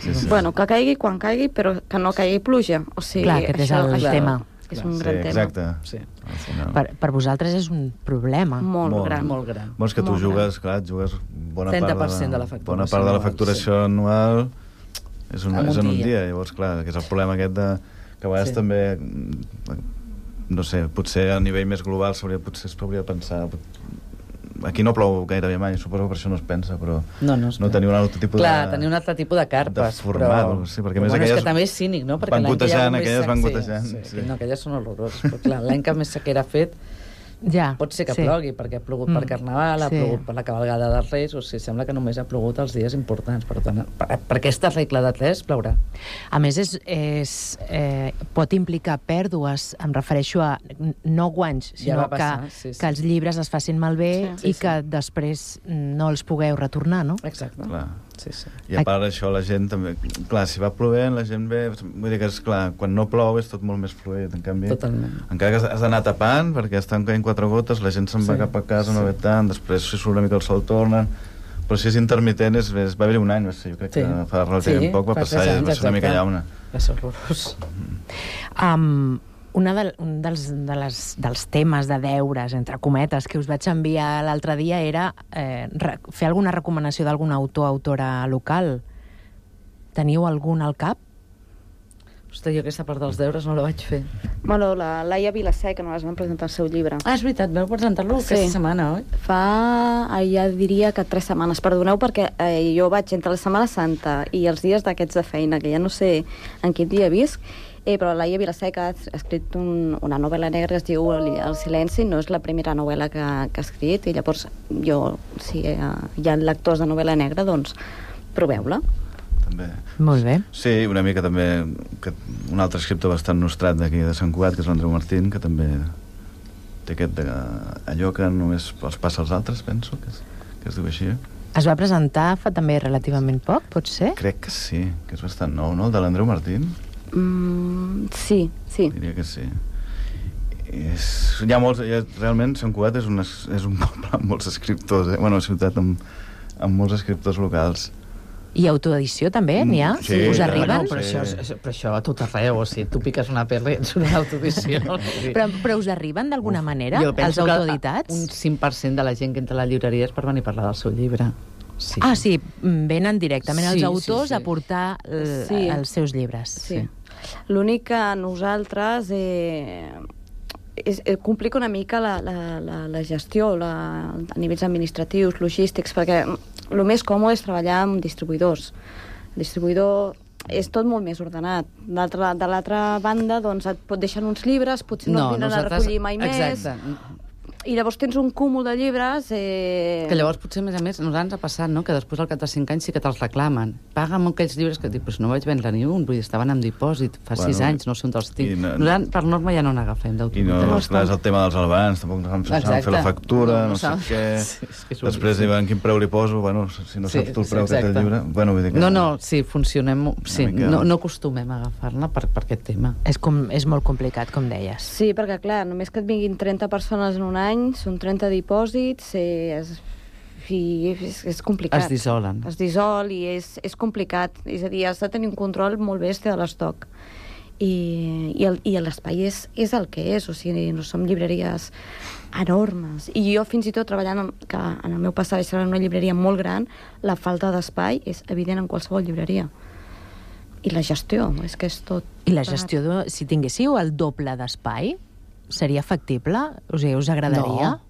Sí. Bueno, que caigui quan caigui, però que no caigui pluja. O sigui, clar, aquest és el tema. És un gran tema. Exacte. Sí. Per vosaltres és un problema. Molt gran. Bueno, és que tu jugues, clar, jugues bona 30% de la facturació. Bona part de la facturació anual és en un dia. Llavors, clar, que és el problema aquest que a vegades també, no sé, potser a nivell més global potser es hauria de pensar... Aquí no plou gairebé mai, suposo que per això no es pensa, però no teniu un altre tipus tenir un altre tipus de carpes. De format, sí, perquè més aquelles... És que també és cínic, no? Perquè van gotejant, aquelles van gotejant. Sí. No, aquelles són horroroses, però clar, l'any que més sequera ha fet, pot ser que plogui, perquè ha plogut per Carnaval, ha plogut per la cavalgada dels Reis, o sigui, sembla que només ha plogut els dies importants. Per tant, per aquesta regla de 3 plourà. A més, pot implicar pèrdues, em refereixo a no guanys, sinó que els llibres es facin malbé i que després no els pugueu retornar, no? Exacte. I a part d'això, la gent també... Clar, si va plovent, la gent ve... Vull dir que, esclar, quan no plou és tot molt més fluid, en canvi... Totalment. Encara que has d'anar tapant, perquè estan caient 4 gotes, la gent se'n va cap a casa, no ve tant, després si surt una mica el sol tornen... Però si és intermitent, va haver-hi un any, jo crec que fa relativament poc va passar, i va ser una mica llauna. Va ser horrorós. Un dels temes de deures, entre cometes, que us vaig enviar l'altre dia era fer alguna recomanació d'algun autor o autora local. Teniu algun al cap? Ostres, jo aquesta part dels deures no la vaig fer. Bueno, la Laia Vilaseca no les van presentar el seu llibre. És veritat, vau presentar-lo aquesta setmana, oi? Ja diria que 3 setmanes. Perdoneu perquè jo vaig entre la Setmana Santa i els dies d'aquests de feina, que ja no sé en quin dia visc, però la Laia Vilaseca ha escrit una novel·la negra que es diu El silenci, no és la primera novel·la que ha escrit, i llavors si hi ha lectors de novel·la negra, doncs proveu-la. També. Molt bé. Sí, una mica també un altre escriptor bastant nostrat d'aquí de Sant Cugat, que és l'Andreu Martín, que també té allò que només els passa als altres, penso, que es diu així. Es va presentar fa també relativament poc, pot ser? Crec que sí, que és bastant nou, no? El de l'Andreu Martín? Sí. Diria que sí. Realment Sant Cugat és un poble amb molts escriptors, una ciutat amb molts escriptors locals. I autoedició també, n'hi ha? Sí, us arriben? Però això a tot arreu, o sigui, tu piques una perla i ets una autoedició. Però us arriben d'alguna manera, els autoeditats? Un 5% de la gent que entra a la llibreria és per venir a parlar del seu llibre. Sí. Sí, venen directament els autors a portar els seus llibres. Sí. L'únic que nosaltres complica una mica la gestió a nivells administratius, logístics, perquè el més còmode és treballar amb distribuïdors. El distribuïdor és tot molt més ordenat. De l'altra banda, doncs, et deixen uns llibres, potser no et vinen a recollir mai més. Exacte. I llavors tens un cúmul de llibres... Que llavors potser, a més, nosaltres ens ha passat, no?, que després al cap de 5 anys sí que te'ls reclamen. Paga'm aquells llibres que dic, però no vaig vendre ni un, vull dir, estaven en dipòsit fa 6 anys, no sé on te'ls tinc. Nosaltres, per norma, ja no n'agafem d'autoritat. I no, clar, és el tema dels albans, tampoc no saben fer la factura, no sé què... Després diuen quin preu li poso, bueno, si no saps tu el preu que té el llibre... Bueno, vull dir que... No, sí, funcionem... Sí, no acostumem a agafar-la per aquest tema. És molt complicat, com deies. Sí, perquè, clar, només que et vinguin 30 persones en un any, són 30 dipòsits, és complicat. Es dissolen. Es dissol i és complicat. És a dir, has de tenir un control molt bèstia de l'estoc. I l'espai és el que és, o sigui, no som llibreries enormes. I jo, fins i tot, treballant en el meu passat en una llibreria molt gran, la falta d'espai és evident en qualsevol llibreria. I la gestió, és que és tot... I la gestió, si tinguéssiu el doble d'espai, seria factible? O sigui, us agradaria? No.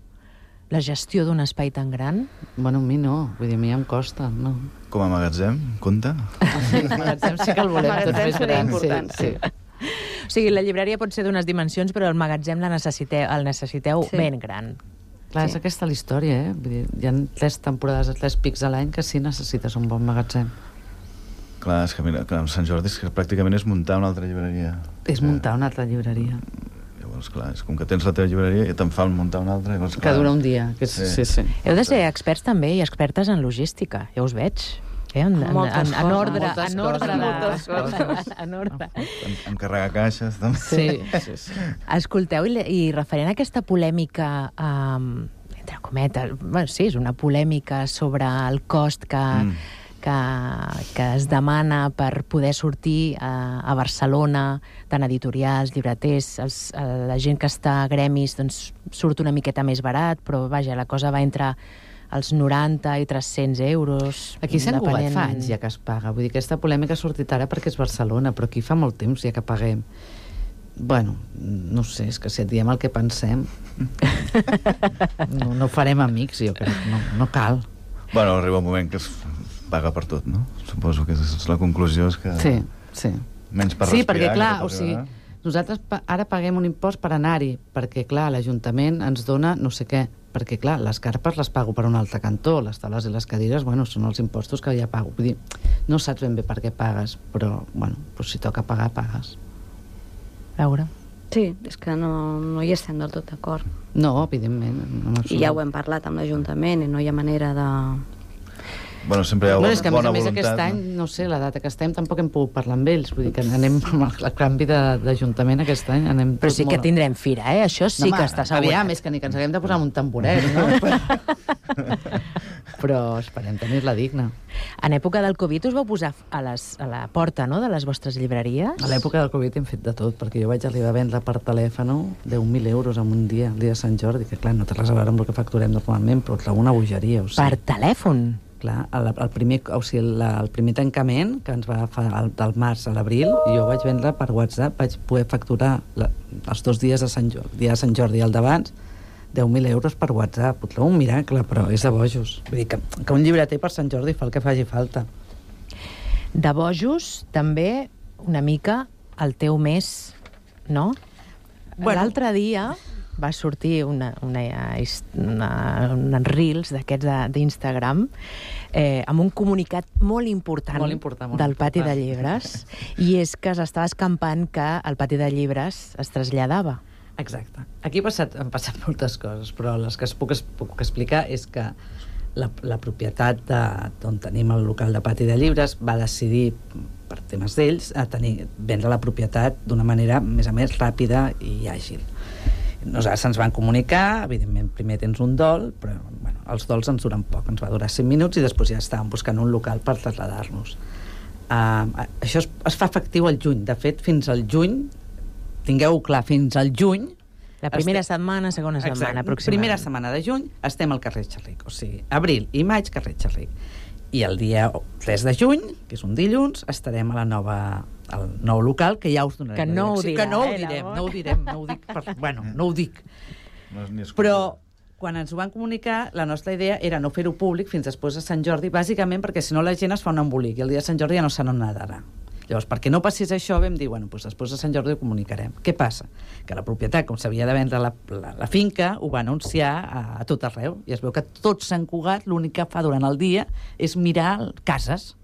La gestió d'un espai tan gran? Bueno, a mi no. Vull dir, a mi em costa, no. Com a magatzem, compta? El magatzem sí que el volem tot més gran. Important, sí. O sigui, la llibreria pot ser d'unes dimensions, però el magatzem el necessiteu ben gran. Clar, és aquesta la història, eh? Vull dir, hi ha 3 temporades, 3 pics a l'any que sí necessites un bon magatzem. Clar, és que mira, amb Sant Jordi és que pràcticament és muntar una altra llibreria. És muntar una altra llibreria. Llavors, clar, és com que tens la teva llibreria i te'n fan muntar una altra. Llavors, que dura un dia. Sí. Heu de ser experts també i expertes en logística, ja us veig. En ordre. Encarregar caixes, també. Sí. Escolteu, i referent a aquesta polèmica, entre cometes, bueno, sí, és una polèmica sobre el cost que es demana per poder sortir a Barcelona, tant editorials, llibreters, la gent que està a gremis doncs, surt una miqueta més barat, però vaja, la cosa va entre els 90 i 300 euros. Aquí a Sant Cugat fa anys ja que es paga. Vull dir, aquesta polèmica ha sortit ara perquè és Barcelona, però aquí fa molt temps ja que paguem. Bueno, no sé, és que si et diem el que pensem no farem amics, jo crec, no cal. Bueno, arriba un moment que es paga per tot, no? Suposo que la conclusió és que... Sí. Menys per respirar. Sí, perquè clar, o sigui, nosaltres ara paguem un impost per anar-hi, perquè clar, l'Ajuntament ens dona no sé què, perquè clar, les carpes les pago per un altre cantó, les taules i les cadires, bueno, són els impostos que ja pago. Vull dir, no saps ben bé per què pagues, però, bueno, doncs si toca pagar, pagues. Veure. Sí, és que no hi estem del tot d'acord. No, evidentment. I ja ho hem parlat amb l'Ajuntament i no hi ha manera de... Bueno, sempre hi ha bona voluntat. És que a més aquest any, no sé, la data que estem tampoc hem pogut parlar amb ells, vull dir que anem amb el canvi d'Ajuntament aquest any. Però sí que tindrem fira, això sí que està assegurat. Aviam, és que ni que ens haguem de posar un tamboret, no? Però esperem tenir-la digna. En època del Covid us vau posar a la porta, no?, de les vostres llibreries? A l'època del Covid hem fet de tot, perquè jo vaig arribar a vendre per telèfon 10.000 euros en un dia, el dia de Sant Jordi, que clar, no té res a veure amb el que facturem normalment, però una bogeria, o sigui. Per telèfon? Clar, el primer tancament que ens va agafar del març a l'abril, jo vaig vendre per WhatsApp, vaig poder facturar els 2 dies de Sant Jordi i el d'abans 10.000 euros per WhatsApp. Un miracle, però és de bojos. Vull dir que un llibreter per Sant Jordi fa el que faci falta. De bojos, també, una mica, el teu mes, no? Bueno. L'altre dia va sortir uns reels d'aquests d'Instagram amb un comunicat molt important del Pati de Llibres, i és que s'estava escampant que el Pati de Llibres es traslladava. Exacte. Aquí han passat moltes coses, però les que puc explicar és que la propietat d'on tenim el local de Pati de Llibres va decidir, per temes d'ells, vendre la propietat d'una manera, més a més, ràpida i àgil. Nosaltres ens van comunicar, evidentment primer tens un dol, però bueno, els dols ens duren poc, ens va durar 5 minuts i després ja estàvem buscant un local per traslladar-nos. Això es fa efectiu al juny. De fet, fins al juny, tingueu-ho clar, fins al juny... La primera setmana, segona setmana, aproximadament. Primera setmana de juny estem al carrer Xerric, o sigui, abril i maig, carrer Xerric. I el dia 3 de juny, que és un dilluns, estarem al nou local, que ja us donarem. Que no ho dirà, que no ho direm, no ho dic. Bueno, no ho dic. Però quan ens ho van comunicar, la nostra idea era no fer-ho públic fins després de Sant Jordi, bàsicament perquè si no la gent es fa un embolic i el dia de Sant Jordi ja no se n'adarà. Llavors, perquè no passés això, vam dir, bueno, doncs després de Sant Jordi ho comunicarem. Què passa? Que la propietat, com s'havia de vendre la finca, ho va anunciar a tot arreu, i es veu que tot Sant Cugat l'únic que fa durant el dia és mirar cases.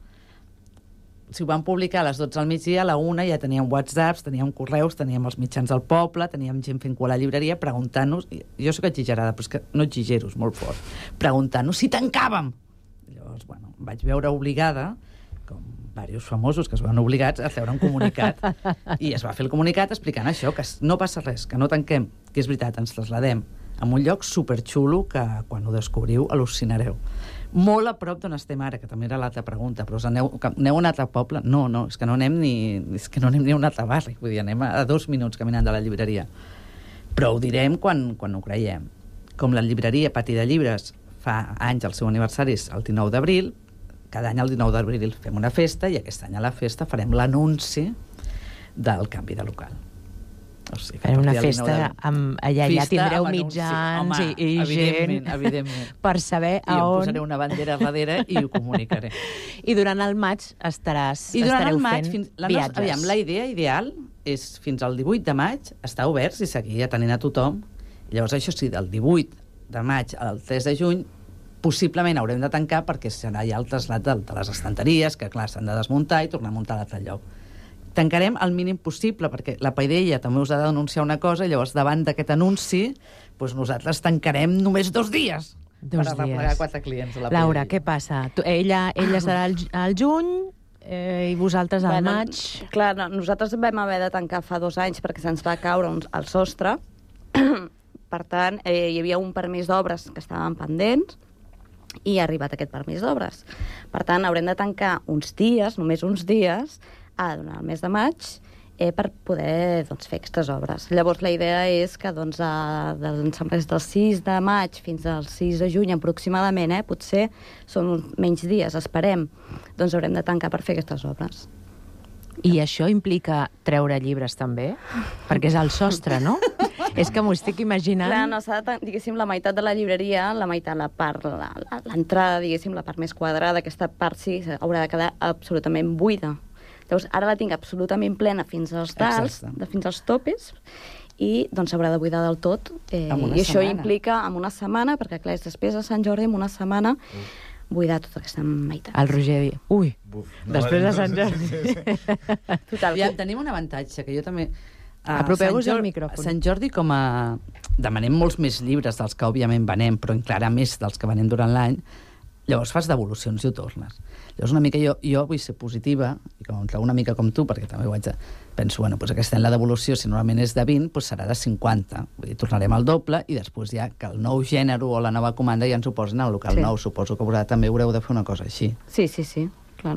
Si ho van publicar a les 12 al migdia, a la 1 ja teníem whatsapps, teníem correus, teníem els mitjans del poble, teníem gent fent cua a la llibreria preguntant-nos, jo soc exagerada, però és que no exagero, és molt fort, preguntant-nos si tancàvem. Llavors, bueno, em vaig veure obligada, com diversos famosos que es van obligats a treure un comunicat, i es va fer el comunicat explicant això, que no passa res, que no tanquem, que és veritat, ens traslladem a un lloc superxulo que quan ho descobriu al·lucinareu. Molt a prop d'on estem ara, que també era l'altra pregunta, però aneu a un altre poble? No, és que no anem ni a un altre barri, vull dir, anem a 2 minuts caminant de la llibreria. Però ho direm quan ho creiem. Com la llibreria Pati de Llibres fa anys, el seu aniversari és el 19 d'abril, cada any el 19 d'abril fem una festa, i aquest any a la festa farem l'anunci del canvi de local. O sigui, farem una festa allà tindreu mitjans i gent per saber a on... I em posaré una bandera darrere i ho comunicaré. I durant el maig estareu fent viatges. Aviam, la idea ideal és fins al 18 de maig estar oberts i seguir atenent a tothom. Llavors, això sí, del 18 de maig al 3 de juny possiblement haurem de tancar perquè serà ja el trasllat de les estanteries, que clar, s'han de desmuntar i tornar a muntar a l'altre lloc. Tancarem el mínim possible, perquè la Paideia també us ha de denunciar una cosa, i llavors davant d'aquest anunci doncs nosaltres tancarem només 2 dies per arreplegar 4 clients a la Paideia. Laura, què passa? Ella estarà al juny i vosaltres al maig? Clar, nosaltres vam haver de tancar fa 2 anys perquè se'ns va caure el sostre. Per tant, hi havia un permís d'obres que estaven pendents i ha arribat aquest permís d'obres. Per tant, haurem de tancar uns dies, només uns dies, durant el mes de maig, per poder fer aquestes obres. Llavors, la idea és que des del 6 de maig fins al 6 de juny aproximadament, potser són menys dies, esperem, doncs haurem de tancar per fer aquestes obres. I això implica treure llibres també? Perquè és el sostre, no? És que m'ho estic imaginant... Clar, no, s'ha de, diguéssim, la meitat de la llibreria, la meitat, l'entrada, diguéssim, la part més quadrada, aquesta part sí, haurà de quedar absolutament buida. Llavors, ara la tinc absolutament plena fins als dals, fins als topes, i doncs s'haurà de buidar del tot. I això implica en una setmana, perquè clar, és després de Sant Jordi, en una setmana, buidar tota aquesta meitat. El Roger diu, ui, després de Sant Jordi. Total. Ja tenim un avantatge, que jo també... Apropeu-vos al micròfon. A Sant Jordi, com a... demanem molts més llibres dels que òbviament venem, però encara més dels que venem durant l'any, llavors fas devolucions i ho tornes. Llavors una mica jo vull ser positiva, i com una mica com tu, perquè també ho haig de... Penso, bueno, doncs aquest any la devolució, si normalment és de 20, doncs serà de 50. Vull dir, tornarem al doble, i després ja que el nou gènere o la nova comanda ja ens ho posen al local nou. Suposo que també haureu de fer una cosa així. Sí. Clar,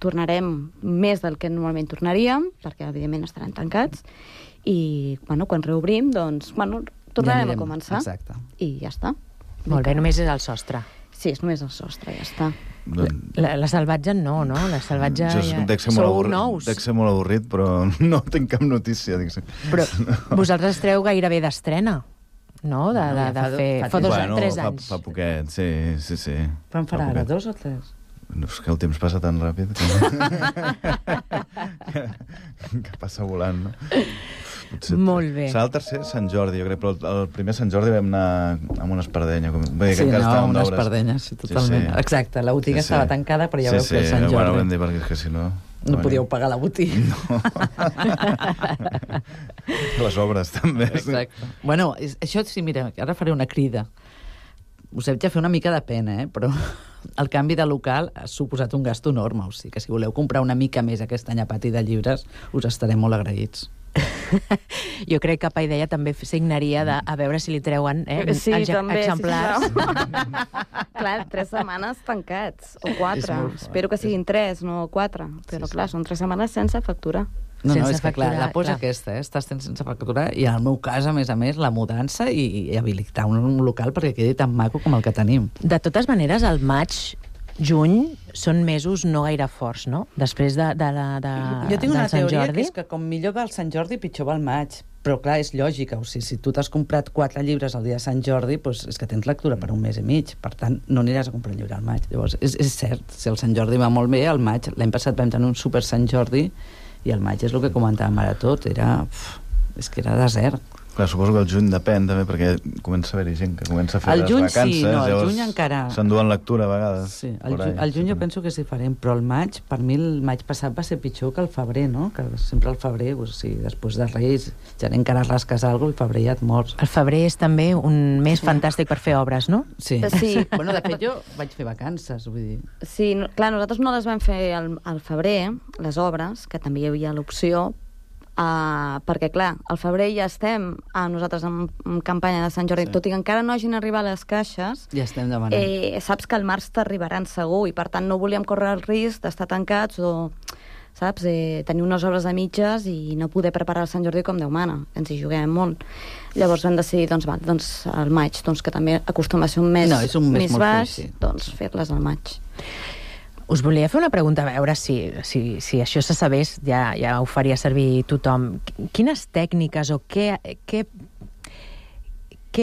tornarem més del que normalment tornaríem, perquè evidentment estaran tancats, i quan reobrim, doncs, tornarem a començar. Exacte. I ja està. Molt bé, només és el sostre. Sí, és només el sostre, ja està. La Salvatge no? La Salvatge ja... Sou nous. Dec ser molt avorrit, però no tinc cap notícia. Però vosaltres esteu gairebé d'estrena, no? De fer... Fa 3 anys. Fa poquet, sí. Quan farà ara, 2 o 3? No, és que el temps passa tan ràpid que passa volant, no? Molt bé. Serà el tercer Sant Jordi, jo crec, però el primer Sant Jordi vam anar amb una espardenya. Sí, una espardenya, sí, totalment. Sí. Exacte, la botiga estava tancada, però ja veu que és Sant Jordi. Bueno, vam dir, perquè és que si no... No podíeu pagar la botiga. No. Les obres, també. Exacte. Bueno, això sí, mira, ara faré una crida. Us haig de fer una mica de pena, però el canvi de local ha suposat un gasto enorme. O sigui que si voleu comprar una mica més aquest any a Pati de Llibres, us estarem molt agraïts. Jo crec que Paideia també signaria a veure si li treuen exemplars. Clar, 3 setmanes tancats, o 4. Espero que siguin 3, no 4. Però clar, són 3 setmanes sense factura. No, és que clar, la posa aquesta, estàs sense factura, i en el meu cas, a més, la mudança i habilitar un local perquè quedi tan maco com el que tenim. De totes maneres, al maig juny són mesos no gaire forts, no? Després de Jo tinc una teoria que és que com millor va el Sant Jordi, pitjor va el maig. Però clar, és lògica, o sigui, si tu t'has comprat 4 llibres el dia de Sant Jordi, doncs és que tens lectura per un mes i mig, per tant, no aniràs a comprar un llibre al maig. Llavors, és cert, si el Sant Jordi va molt bé, al maig, l'any passat vam tenir un super Sant Jordi, i el maig és el que comentàvem ara tot, és que era desert. Clar, suposo que el juny depèn també, perquè comença a haver-hi gent que comença a fer les vacances. Sí, no, el juny encara... S'enduen lectura a vegades. Sí, el juny jo penso que és diferent, però el maig, per mi el maig passat va ser pitjor que el febrer, no? Que sempre el febrer, després de Reis, ja encara rasques alguna cosa, el febrer ja et mors. El febrer és també un mes fantàstic per fer obres, no? Sí. Bueno, de fet, jo vaig fer vacances, vull dir... Sí, clar, nosaltres no les vam fer al febrer, les obres, que també hi havia l'opció, perquè, clar, al febrer ja estem nosaltres en campanya de Sant Jordi, tot i que encara no hagin arribat les caixes, ja estem demanant. Saps que al març t'arribaran segur, i per tant no volíem córrer el risc d'estar tancats o, saps, tenir unes obres a mitges i no poder preparar el Sant Jordi com Déu mana, que ens hi juguem molt. Llavors vam decidir, al maig, que també acostuma a ser un mes més baix, doncs fer-les al maig. Us volia fer una pregunta, a veure si això se sabés, ja ho faria servir tothom. Quines tècniques o què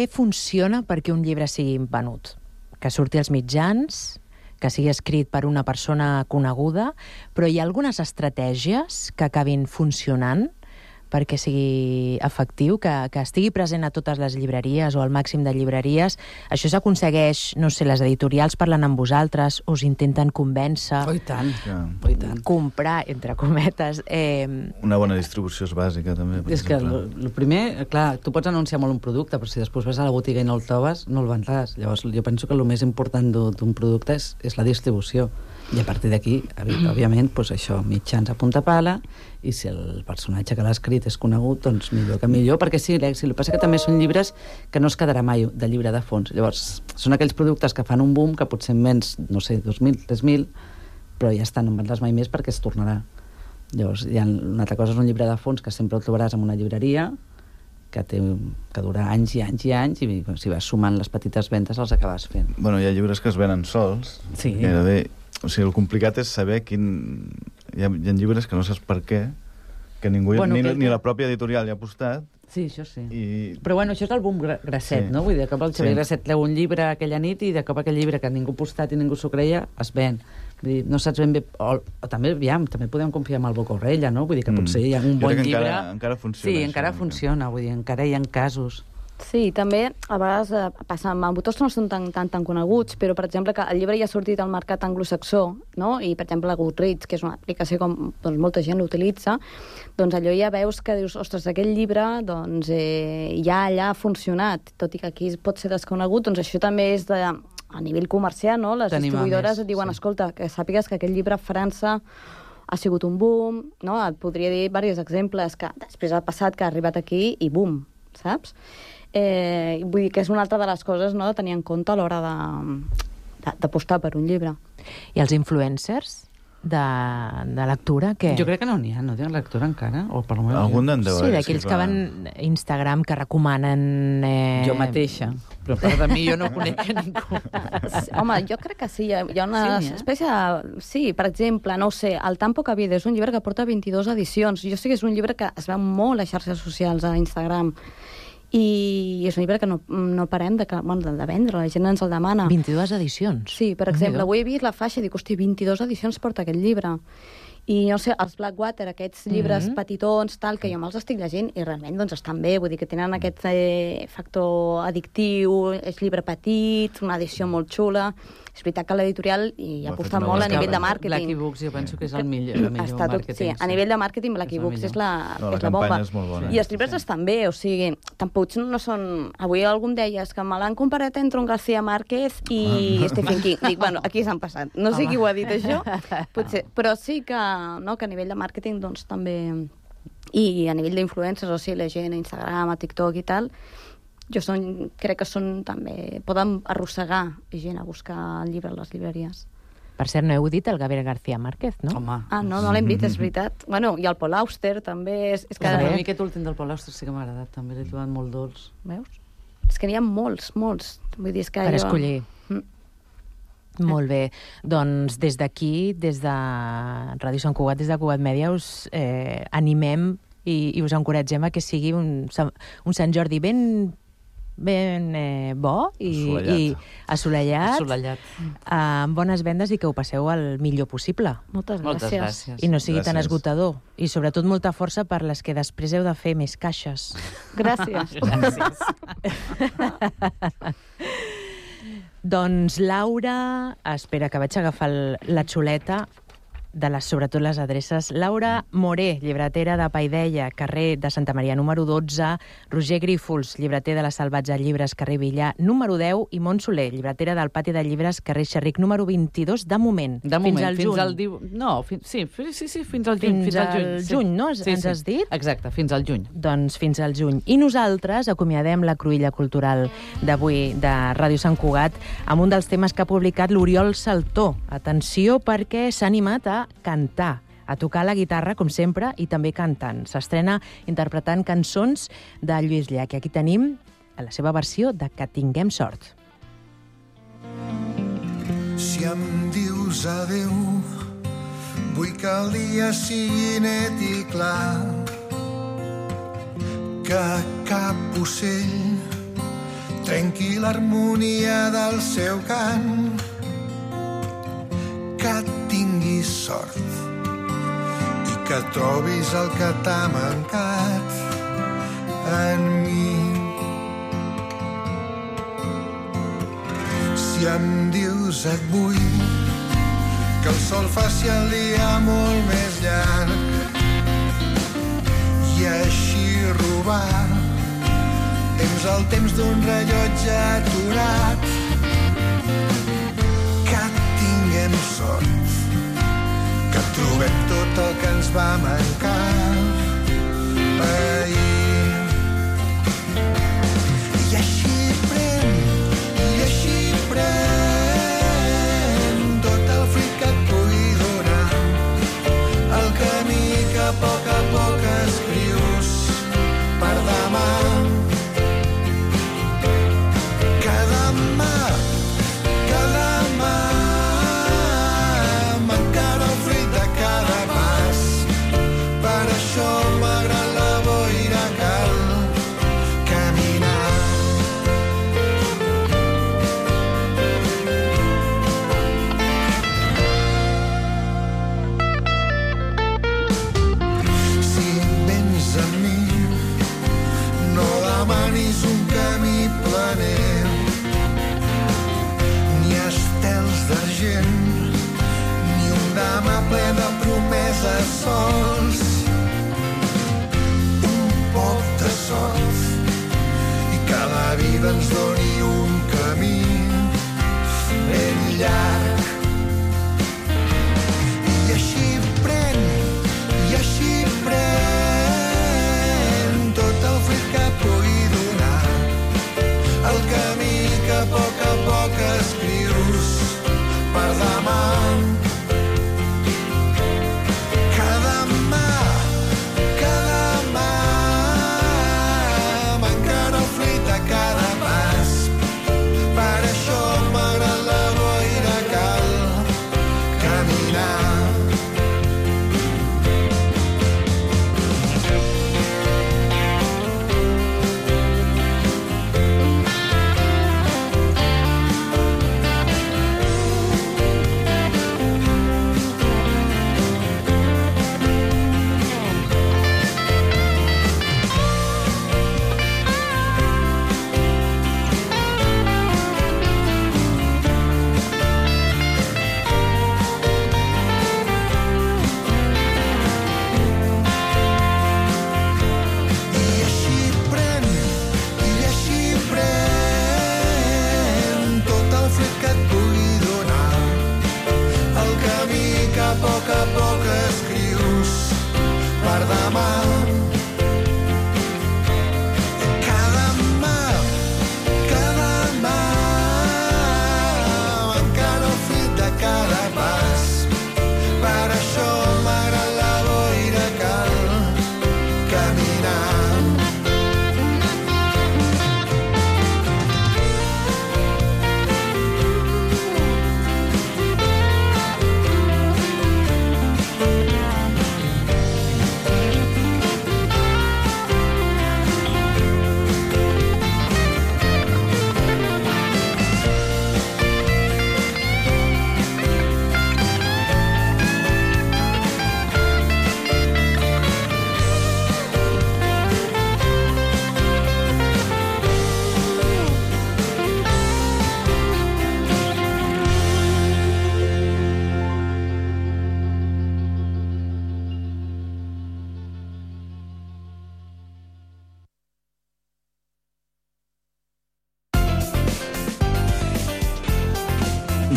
funciona perquè un llibre sigui venut? Que surti als mitjans, que sigui escrit per una persona coneguda, però hi ha algunes estratègies que acabin funcionant perquè sigui efectiu, que estigui present a totes les llibreries o al màxim de llibreries. Això s'aconsegueix, no sé, les editorials parlen amb vosaltres, us intenten convèncer, comprar, entre cometes. Una bona distribució és bàsica, també. És que el primer, clar, tu pots anunciar molt un producte, però si després vas a la botiga i no el trobes, no el vendràs. Llavors, jo penso que el més important d'un producte és la distribució. I a partir d'aquí, òbviament, això, mitjans a punta pala, i si el personatge que l'ha escrit és conegut, doncs millor que millor, perquè sí, l'èxit. El que passa que també són llibres que no es quedarà mai de llibre de fons. Llavors, són aquells productes que fan un boom, que potser en menys, no sé, 2.000, 3.000, però ja estan, no en vendràs mai més perquè es tornarà. Llavors, una altra cosa és un llibre de fons que sempre el trobaràs en una llibreria, que dura anys i anys i anys, i si vas sumant les petites ventes els acabes fent. Bueno, hi ha llibres que es venen sols, gairebé. O sigui, el complicat és saber quin... Hi ha llibres que no saps per què, que ningú, ni la pròpia editorial hi ha apostat. Sí, això sí. Però bueno, això és el boom Grasset, no? Vull dir, de cop el Xavier Grasset treu un llibre aquella nit i de cop aquell llibre que ningú ha apostat i ningú s'ho creia, es ven. Vull dir, no saps ben bé... O també, també podem confiar en el Boca Orella, no? Vull dir que potser hi ha un bon llibre... Encara funciona. Sí, encara funciona, vull dir, encara hi ha casos. Sí, també a vegades passa amb autors que no són tan coneguts, però, per exemple, que el llibre ja ha sortit al mercat anglosaxó, no? I, per exemple, la Goodreads, que és una aplicació que molta gent l'utilitza, doncs allò ja veus que dius, ostres, aquest llibre ja allà ha funcionat, tot i que aquí pot ser desconegut, doncs això també és a nivell comercial, no? Les distribuïdores et diuen, escolta, que sàpigues que aquest llibre a França ha sigut un boom, no? Et podria dir diversos exemples que després ha passat, que ha arribat aquí i boom, saps? Vull dir que és una altra de les coses, no?, de tenir en compte a l'hora d'apostar per un llibre. I els influencers de lectura, què? Jo crec que no n'hi ha, no tenen lectura encara, o per almenys... Algun d'en deu haver. Sí, d'aquells que van a Instagram, que recomanen... Jo mateixa, però per de mi jo no conec a ningú. Home, jo crec que sí, hi ha una espècie de... Sí, per exemple, no ho sé, El tan poca vida és un llibre que porta 22 edicions. Jo sé que és un llibre que es veu molt a xarxes socials, a Instagram, i és un llibre que no parem de vendre, la gent ens el demana. 22 edicions? Sí, per exemple, avui he vist la faixa i dic, hosti, 22 edicions porta aquest llibre. I, no sé, els Blackwater, aquests llibres petitons, tal, que jo me'ls estic llegint i realment doncs estan bé, vull dir que tenen aquest factor addictiu, és llibre petit, una edició molt xula. És veritat que l'editorial hi aposta molt a nivell de màrqueting. Lucky Books jo penso que és el millor màrqueting. Sí, a nivell de màrqueting Lucky Books és la bomba. I els llibres estan bé, o sigui, tampoc no són... Avui algú em deia que me l'han comparat entre un García Márquez i Stephen King. Dic, bueno, aquí s'han passat. No sé qui ho ha dit, això, potser. Però sí que a nivell de màrqueting, doncs, també... I a nivell d'influencers, o sigui, la gent a Instagram, a TikTok i tal... crec que són també... Poden arrossegar gent a buscar el llibre a les llibreries. Per cert, no heu dit el Gabriel García Márquez, no? Home. Ah, no l'hem dit, és veritat. Bueno, i el Paul Auster, també. És que a mi aquest últim del Paul Auster sí que m'ha agradat, també l'he trobat molt dolç. Veus? És que n'hi ha molts. Vull dir, és que per escollir. Molt bé. Doncs des d'aquí, des de Ràdio Sant Cugat, des de Cugat Mèdia, us animem i us encoratgem a que sigui un Sant Jordi ben bo i assolellat, amb bones vendes i que ho passeu el millor possible. Moltes gràcies. I no sigui tan esgotador. I sobretot molta força per les que després heu de fer més caixes. Gràcies. Doncs Laura, espera que vaig agafar la xuleta sobretot les adreces. Laura Moré, llibretera de Paideia, carrer de Santa Maria número 12, Roger Grífols, llibreter de la Salvatge Llibres, carrer Villar número 10, i Mont Soler, llibretera del Pati de Llibres, carrer Xerric número 22, de moment. Fins al juny. Fins al juny. Fins al juny, no? Ens has dit? Exacte, fins al juny. Doncs fins al juny. I nosaltres acomiadem la cruïlla cultural d'avui de Ràdio Sant Cugat amb un dels temes que ha publicat l'Oriol Saltó. Atenció, perquè s'ha animat a cantar, a tocar la guitarra, com sempre, i també cantant. S'estrena interpretant cançons de Lluís Llach. I aquí tenim la seva versió de Que tinguem sort. Si em dius adeu, vull que el dia sigui net i clar, que cap ocell trenqui l'harmonia del seu cant, que tinguis sort i que trobis el que t'ha mancat en mi. Si em dius et vull que el sol faci el dia molt més llarg i així robar el temps d'un rellotge aturat, sort, que trobem tot el que ens va mancar ahir. I així pren tot el fruit que et pugui donar, el camí que a poc escrius per demà. Ni un demà ple de promeses sols, un poc de sort i que la vida ens doni un camí ben llarg. I així pren tot el fruit que pugui donar, el camí que a poc escrius per demà. Cada mà m'encara el fruit de cada pas,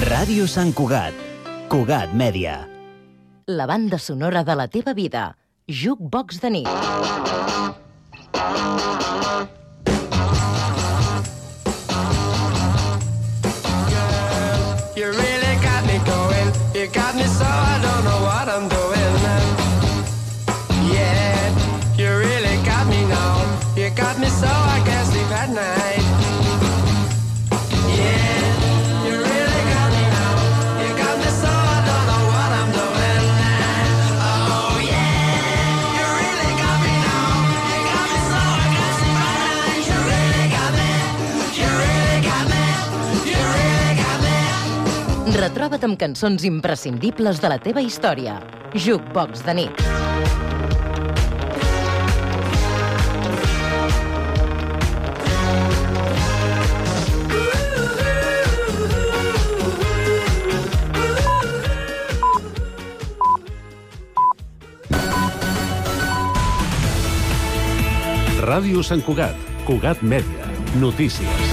Ràdio Sant Cugat. Cugat Mèdia. La banda sonora de la teva vida. Jukebox de nit. You really got me going. You got me so I don't know what I'm doing. Yeah, you really got me now. You got me so I can't sleep at night. Yeah, you really got me now. You got me so I don't know what I'm doing. Oh yeah, you really got me now. You got me so I can't sleep at night. You really got me. You really got me. You really got me. Retroba't amb cançons imprescindibles de la teva història. Jukebox de nit. Ràdio Sant Cugat. Cugat Mèdia. Notícies.